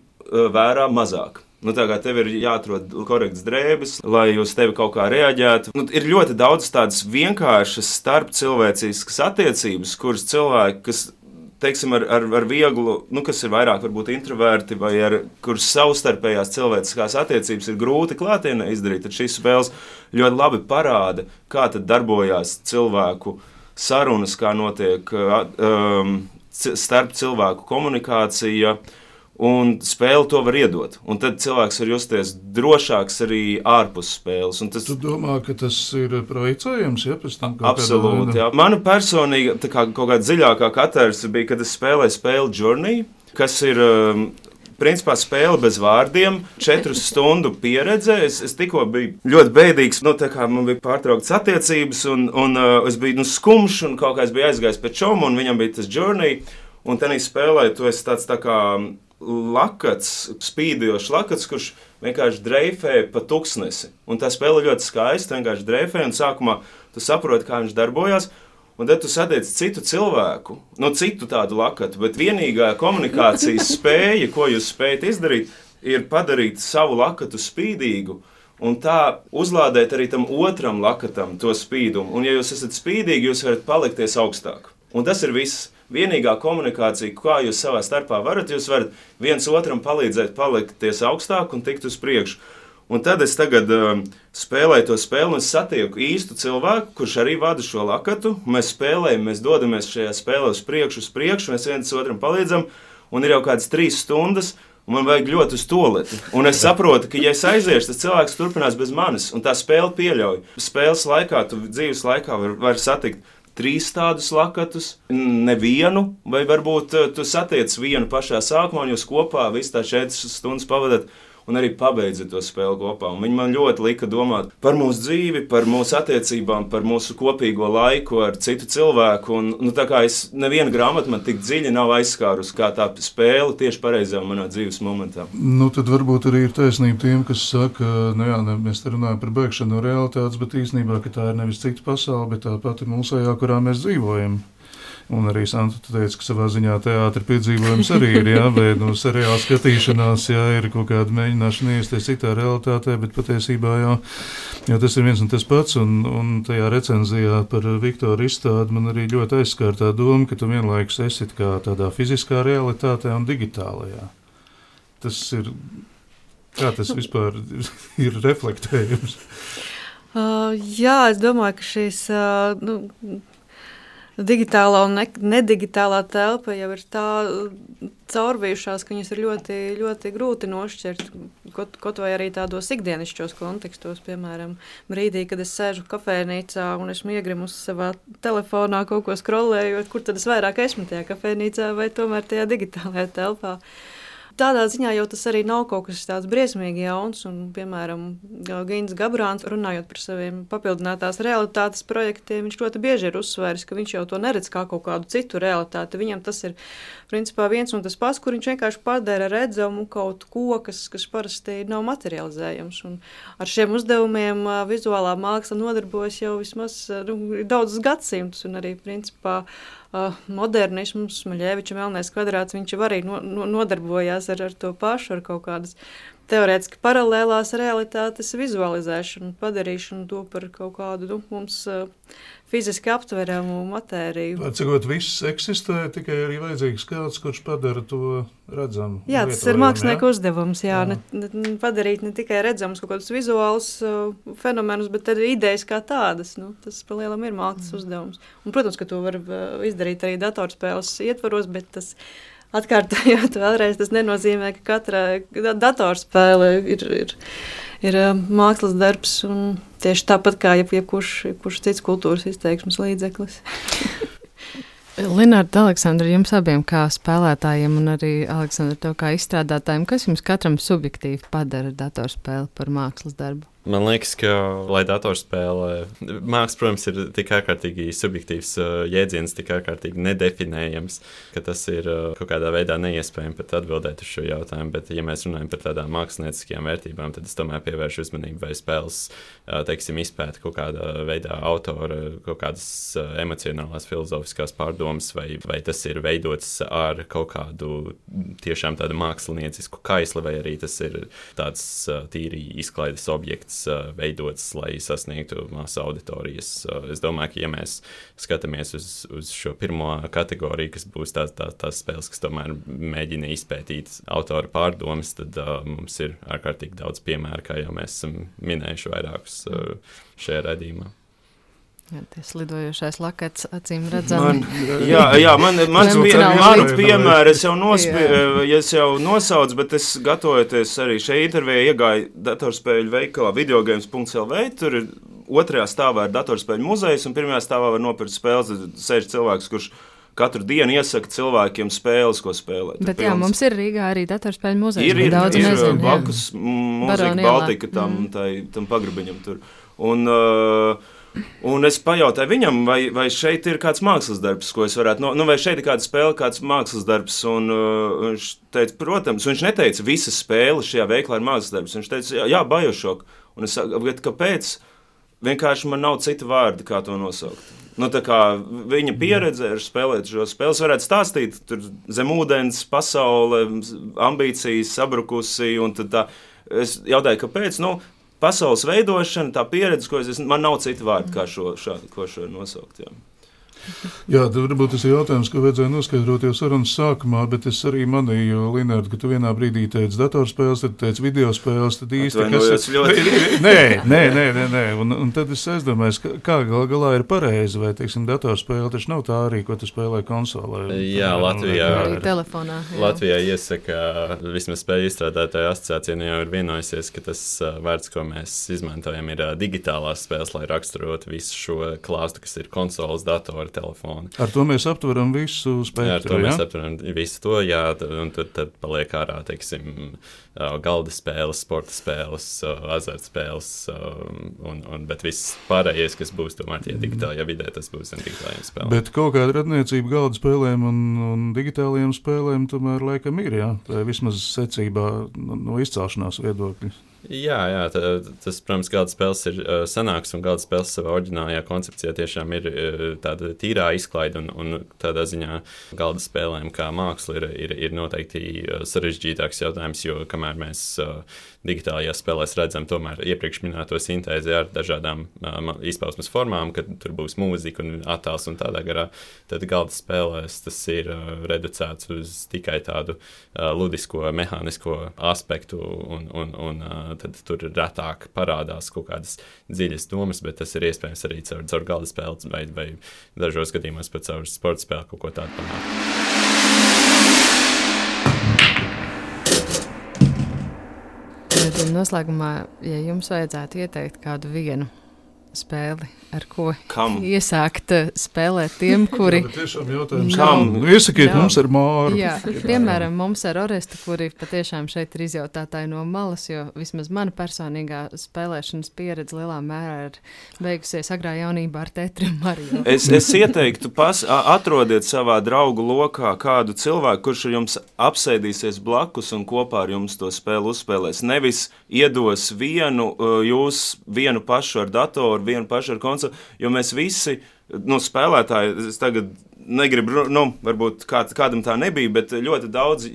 [SPEAKER 6] vērā mazāk. Tev ir jāatrod korekts drēbes, lai uz tevi kaut kā reaģētu. Ir ļoti daudz tādas vienkāršas starpcilvēciskas attiecības, kuras cilvēki, kas teiksim, ar vieglu, kas ir vairāk varbūt introverti vai kuras savstarpējās cilvēciskās attiecības ir grūti klātienē izdarīt, tad šīs spēles ļoti labi parāda, kā tad darbojās cilvēku sarunas, kā notiek starp cilvēku komunikācija, un spēle to var iedot. Un tad cilvēks var justies drošāks arī ārpus spēles.
[SPEAKER 2] Tu domā, ka tas ir projicējams, ja pēc tam kaut
[SPEAKER 6] absolūti, jā. Mana personīga kaut kāda dziļākā katērsa bija, kad es spēlēju spēli Journey, kas ir principā spēle bez vārdiem, 4 stundu pieredze. Es tikko biju ļoti bēdīgs, tā kā man bija pārtrauktas attiecības, un es biju skumjš, un kaut kā es biju aizgājis pēc čoma, un viņam bija tas journey, un tenī spēlē tu esi tāds tā kā lakats, spīdojošs lakats, kurš vienkārši dreifē pa tuksnesi. Un tā spēle ļoti skaista, vienkārši dreifē, un sākumā tu saproti, kā viņš darbojās. Un tad tu satiec citu cilvēku, citu tādu lakatu, bet vienīgā komunikācijas spēja, ko jūs spējat izdarīt, ir padarīt savu lakatu spīdīgu un tā uzlādēt arī tam otram lakatam to spīdumu. Un ja jūs esat spīdīgi, jūs varat palikties augstāk. Un tas ir viss. Vienīgā komunikācija, kā jūs savā starpā varat, jūs varat viens otram palīdzēt palikties augstāk un tikt uz priekšu. Un tad es tagad spēlēju to spēli, un es satieku īstu cilvēku, kurš arī vada šo lakatu. Mēs spēlējam, mēs dodamies šajā spēlē uz priekšu, mēs viens otram palīdzam, un ir jau kādas 3 stundas, un man vajag ļoti uz toleti. Un es saprotu, ka, ja es aiziešu, tas cilvēks turpinās bez manis, un tā spēle pieļauj. Spēles laikā, tu dzīves laikā var satikt 3 tādus lakatus, nevienu, vai varbūt tu satiec vienu pašā sākumā, un jūs kopā visu tā 4 stundas pavadat, un arī pabeidzat to spēli kopā. Un viņi man ļoti lika domāt par mūsu dzīvi, par mūsu attiecībām, par mūsu kopīgo laiku ar citu cilvēku. Un tā kā neviena grāmata man tik dziļi nav aizskārus, kā tā spēle tieši pareizā manā dzīves momentā.
[SPEAKER 2] Tad varbūt arī ir taisnība tiem, kas saka, mēs te runājam par bēgšanu no realitātes, bet īstenībā, ka tā ir nevis cita pasaule, bet tā pati mūsējā, kurā mēs dzīvojam. Un arī Santa teica, ka savā ziņā teātra piedzīvojums arī ir, bet seriāla skatīšanās, ir kaut kāda mēģināšana iesties citā realitātē, bet patiesībā jau tas ir viens un tas pats, un tajā recenzijā par Viktoru izstādi man arī ļoti aizskāra tā doma, ka tu vienlaikus esi kā tādā fiziskā realitātē un digitālajā. Tas ir, kā tas vispār ir reflektējums?
[SPEAKER 4] Jā, es domāju, ka šīs... digitālā un nedigitālā telpa jau ir tā caurvījušās, ka viņas ir ļoti, ļoti grūti nošķirt. Kaut vai arī tādos ikdienišķos kontekstos, piemēram, brīdī, kad es sēžu kafejnīcā un esmu iegrimusi savā telefonā kaut ko scrollējot, kur tad es vairāk esmu tajā kafejnīcā vai tomēr tajā digitālajā telpā. Tādā ziņā jau tas arī nav kaut kas tāds briesmīgi jauns, un, piemēram, Gins Gabrāns, runājot par saviem papildinātās realitātes projektiem, viņš ļoti bieži ir uzsvēris, ka viņš jau to neredz kā kaut kādu citu realitāti. Viņam tas ir, principā, viens un tas pats, kur viņš vienkārši padara redzamu kaut ko, kas parasti nav materializējams. Un ar šiem uzdevumiem vizuālā māksla nodarbojas jau vismaz daudzus gadsimtus, un arī, principā, modernisms, Maļeviča Melnais kvadrāts, viņš jau arī nodarbojās ar to pašu, ar kaut kādas teorētiski paralēlās realitātes vizualizēšanu, padarīšanu to par kaut kādu mums fiziski aptveramu matēriju.
[SPEAKER 2] Cikot viss eksistē, tikai arī vajadzīgs kāds, kurš padara to redzamu.
[SPEAKER 4] Jā, tas ir mākslinieka uzdevums, padarīt ne tikai redzamus kaut kādus vizuālus fenomenus, bet arī idejas kā tādas. Tas pa lielam ir mākslas uzdevums. Un, protams, ka to var izdarīt arī datorspēles ietvaros, bet tas atkārtojot vēlreiz, tas nenozīmē, ka katra datorspēle ir mākslas darbs un tieši tāpat kā jebkurš cits kultūras izteiksmes līdzeklis.
[SPEAKER 3] Linārda, Aleksandra, jums abiem kā spēlētājiem un arī Aleksandra, tev kā izstrādātājiem, kas jums katram subjektīvi padara datorspēli par mākslas darbu?
[SPEAKER 5] Man liekas, ka, lai datorspēlē, māksla, protams, ir tik ārkārtīgi subjektīvs jēdziens, tik ārkārtīgi nedefinējams, ka tas ir kaut kādā veidā neiespējami pat atbildēt uz šo jautājumu, bet, ja mēs runājam par tādām mākslinieckajām vērtībām, tad es tomēr pievēršu uzmanību, vai spēles, teiksim, izpēta kaut kādā veidā autora, kaut kādas emocionālās, filozofiskās pārdomas, vai tas ir veidots ar kaut kādu tiešām tādu māksliniecisku kaisli, vai arī tas ir tāds tīri izklaides objekts, veidots, lai sasniegtu masu auditorijas. Es domāju, ka, ja mēs skatāmies uz šo pirmo kategoriju, kas būs tās spēles, kas tomēr mēģina izpētīt autora pārdomas, tad mums ir ārkārtīgi daudz piemēru, kā jau mēs esam minējuši vairākus šajā raidījumā.
[SPEAKER 3] Jā, tas lidojošais lakats, acīm redzam.
[SPEAKER 6] Mans piemērs es jau nosaucu, bet es gatavojoties arī šai intervijai iegāju datorspēļu veikalā videogames.lv, tur ir 2. stāvā ir datorspēļu muzejs, un 1. stāvā var nopirkt spēles, sēž cilvēks, kurš katru dienu iesaka cilvēkiem spēles, ko spēlēt.
[SPEAKER 3] Bet jā, mums ir Rīgā arī datorspēļu muzejs.
[SPEAKER 6] Ir
[SPEAKER 3] nezinu,
[SPEAKER 6] blakus Mūzika Baltika tam pagrabiņam tur. Un es pajautāju viņam, vai šeit ir kāds mākslas darbs, ko es varētu, vai šeit ir kāda spēle, kāds mākslas darbs, un viņš teica, protams, viņš neteica, visas spēles šajā veiklā ir mākslas darbs, viņš teica, jā, Bioshock, un es saku, kāpēc? Vienkārši man nav cita vārda, kā to nosaukt. Tā kā viņa pieredze ar spēlēt šo spēles varētu stāstīt, tur zem ūdens, pasaule, ambīcijas, sabrukusi, un tad tā, es jautāju, kāpēc, pasaules veidošana, tā pieredze, man nav cita vārda, kā šo nosaukt, jā.
[SPEAKER 2] Jā, tad varbūt tas ir jautājums, ko vajadzēja noskaidrot jau sarunas sākumā, bet es arī manīju, Linārd, ka tu vienā brīdī teici datorspēles, tad teici videospēles, tad īsti, kas... Nē. Un tad es aizdomājos, kā galā ir pareizi, vai, teiksim, datorspēle taču nav tā arī, ko tu spēlē konsolē.
[SPEAKER 5] Jā, Latvijā.
[SPEAKER 3] Arī telefonā. Jā.
[SPEAKER 5] Latvijā iesaka, vismaz spēļu izstrādātāja asociācija jau ir vienojusies, ka tas vārds, ko mēs izmantojam, ir digitālās spēles, lai raksturotu visu šo klāstu, kas ir konsoles, datori, telefoni.
[SPEAKER 2] Ar to mēs aptveram visu spektru,
[SPEAKER 5] ar to mēs aptveram visu to, jā, un tad paliek ārā, teiksim, galda spēles, sporta spēles, azartspēles, bet viss pārējais, kas būs tomēr tie digitālajā vidē, tas būs digitālajiem spēlēm.
[SPEAKER 2] Bet kaut kāda radniecība galda spēlēm un digitālajiem spēlēm tomēr laikam ir, jā, vismaz secībā no izcelšanās viedokļa.
[SPEAKER 5] Jā, tas, protams, galda spēles ir sanāks, un galda spēles savā oriģinālajā koncepcijā tiešām ir tāda tīrā izklaide, un tādā ziņā galda spēlēm kā māksla ir noteikti sarežģītāks jautājums, jo kamēr mēs digitālajās spēlēs redzam tomēr iepriekš minēto sintēzi ar dažādām izpausmes formām, kad tur būs mūzika un attēls un tādā garā, tad galda spēlēs tas ir reducēts uz tikai tādu ludisko, mehānisko aspektu, un tad tur retāk parādās kaut kādas dziļas domas, bet tas ir iespējams arī caur galda spēli vai dažos gadījumos pat caur sporta spēli kaut ko tādu panākt.
[SPEAKER 3] Noslēgumā, ja jums vajadzētu ieteikt kādu vienu spēli, ar ko iesākt spēlēt tiem, kuri...
[SPEAKER 2] Jā, tiešām jautājums, kam? Iesakiet mums ar Māru.
[SPEAKER 3] Jā, piemēram, mums ar Orestu, kuri patiešām šeit ir izjautātāji no malas, jo vismaz mana personīgā spēlēšanas pieredze lielā mērā ir beigusies agrā jaunībā ar Tetri un Mario.
[SPEAKER 6] Es ieteiktu, atrodiet savā draugu lokā kādu cilvēku, kurš ar jums apsēdīsies blakus un kopā ar jums to spēli uzspēlēs. Nevis iedos vienu pašu ar datoru, vienu pašu ar konsoli, jo mēs visi, spēlētāji, es tagad negribu, varbūt kādam tā nebija, bet ļoti daudz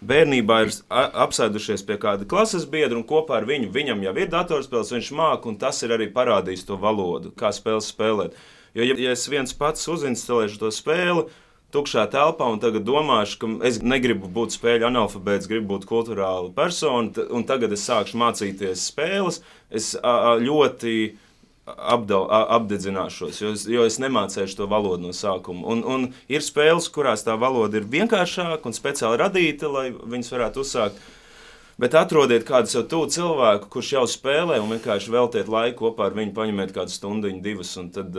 [SPEAKER 6] bērnībā ir apsēdušies pie kāda klases biedra un kopā ar viņam jau ir datorspēles, viņš māk, un tas ir arī parādījis to valodu, kā spēles spēlēt. Jo, ja es viens pats uzinstalēšu to spēli, tukšā telpā un tagad domāšu, ka es negribu būt spēļu analfabēts, gribu būt kulturāla persona, un tagad es sākšu mācīties spēles, es ļoti apdedzināšos, jo es nemācēšu to valodu no sākuma. Un ir spēles, kurās tā valoda ir vienkāršāka un speciāli radīta, lai viņas varētu uzsākt. Bet atrodiet kādu sev tuvu cilvēku, kurš jau spēlē, un vienkārši veltiet laiku kopā ar viņu, paņemiet kādu stundiņu, divas, un tad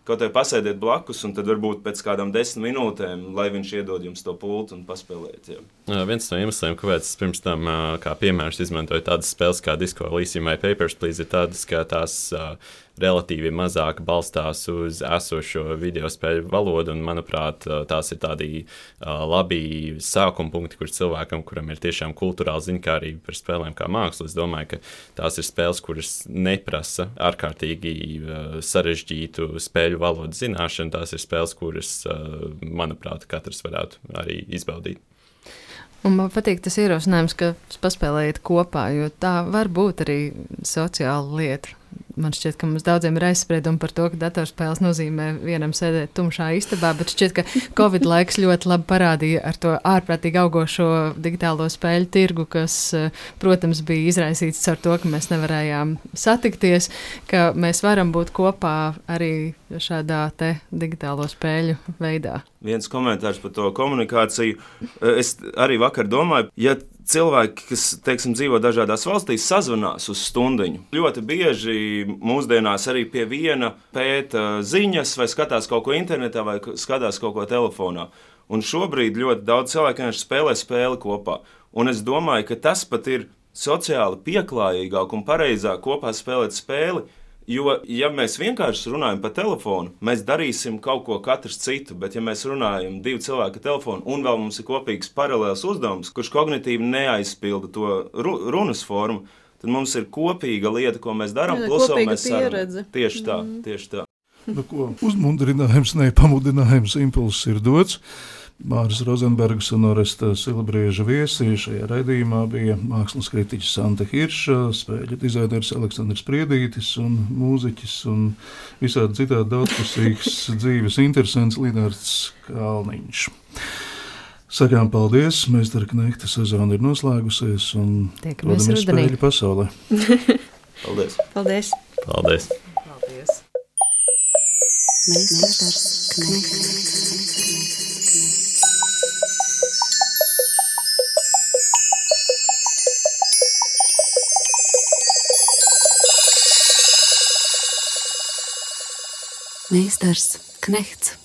[SPEAKER 6] kaut vai pasēdiet blakus, un tad varbūt pēc kādām 10 minūtēm, lai viņš iedod jums to pultu un paspēlēt.
[SPEAKER 5] Viens no iemesliem, kāpēc es pirms tam kā piemērus izmantoju tādas spēles kā Disco Elysium vai Papers, Please, ir tādas, ka tās relatīvi mazāk balstās uz esošo video spēļu valodu, un, manuprāt, tās ir tādi labi sākuma punkti, kur cilvēkam, kuram ir tiešām kulturāla ziņkārība par spēlēm kā mākslu, es domāju, ka tās ir spēles, kuras neprasa ārkārtīgi sarežģītu spēļu valodu zināšanu, tās ir spēles, kuras, manuprāt, katrs varētu arī izbaudīt.
[SPEAKER 3] Un man patīk tas ierosinājums, ka paspēlējiet kopā, jo tā var būt arī sociāla lieta. Man šķiet, ka mums daudziem ir aizspriedumi par to, ka datorspēles nozīmē vienam sēdēt tumšā istabā, bet šķiet, ka Covid laiks ļoti labi parādīja ar to ārprātīgi augošo digitālo spēļu tirgu, kas, protams, bija izraisīts ar to, ka mēs nevarējām satikties, ka mēs varam būt kopā arī šādā te digitālo spēļu veidā.
[SPEAKER 6] Viens komentārs par to komunikāciju. Es arī vakar domāju, ja cilvēki, kas, teiksim, dzīvo dažādās valstīs, sazvanās uz stundiņu. Ļoti bieži mūsdienās arī pie viena pēta ziņas, vai skatās kaut ko internetā, vai skatās kaut ko telefonā. Un šobrīd ļoti daudz cilvēku vienkārši spēlē spēli kopā. Un es domāju, ka tas pat ir sociāli pieklājīgāk un pareizāk kopā spēlēt spēli. Jo, ja mēs vienkārši runājam pa telefonu, mēs darīsim kaut ko katrs citu, bet ja mēs runājam 2 cilvēki telefonu un vēl mums ir kopīgs paralēls uzdevums, kurš kognitīvi neaizpilda to runas formu, tad mums ir kopīga lieta, ko mēs darām, plus vēl mēs sarunājam. Tieši tā, tieši tā.
[SPEAKER 2] Nu, ko, uzmundrinājums, nepamudinājums, impulss ir dots. Māris Rozenbergs un Oresta Silabrieža viesi šajā raidījumā bija mākslas kritiķis Santa Hirša, spēļu dizainers Aleksandrs Priedītis un mūziķis un visādi citādi daudzpusīgs dzīves interesants Linards Kalniņš. Sakām paldies, Meistara Knehta sezona ir noslēgusies un dodamies spēļu pasaulē.
[SPEAKER 6] Paldies!
[SPEAKER 4] Paldies!
[SPEAKER 5] Paldies!
[SPEAKER 3] Paldies!
[SPEAKER 1] Meistars Knehts. Meistars Knehts.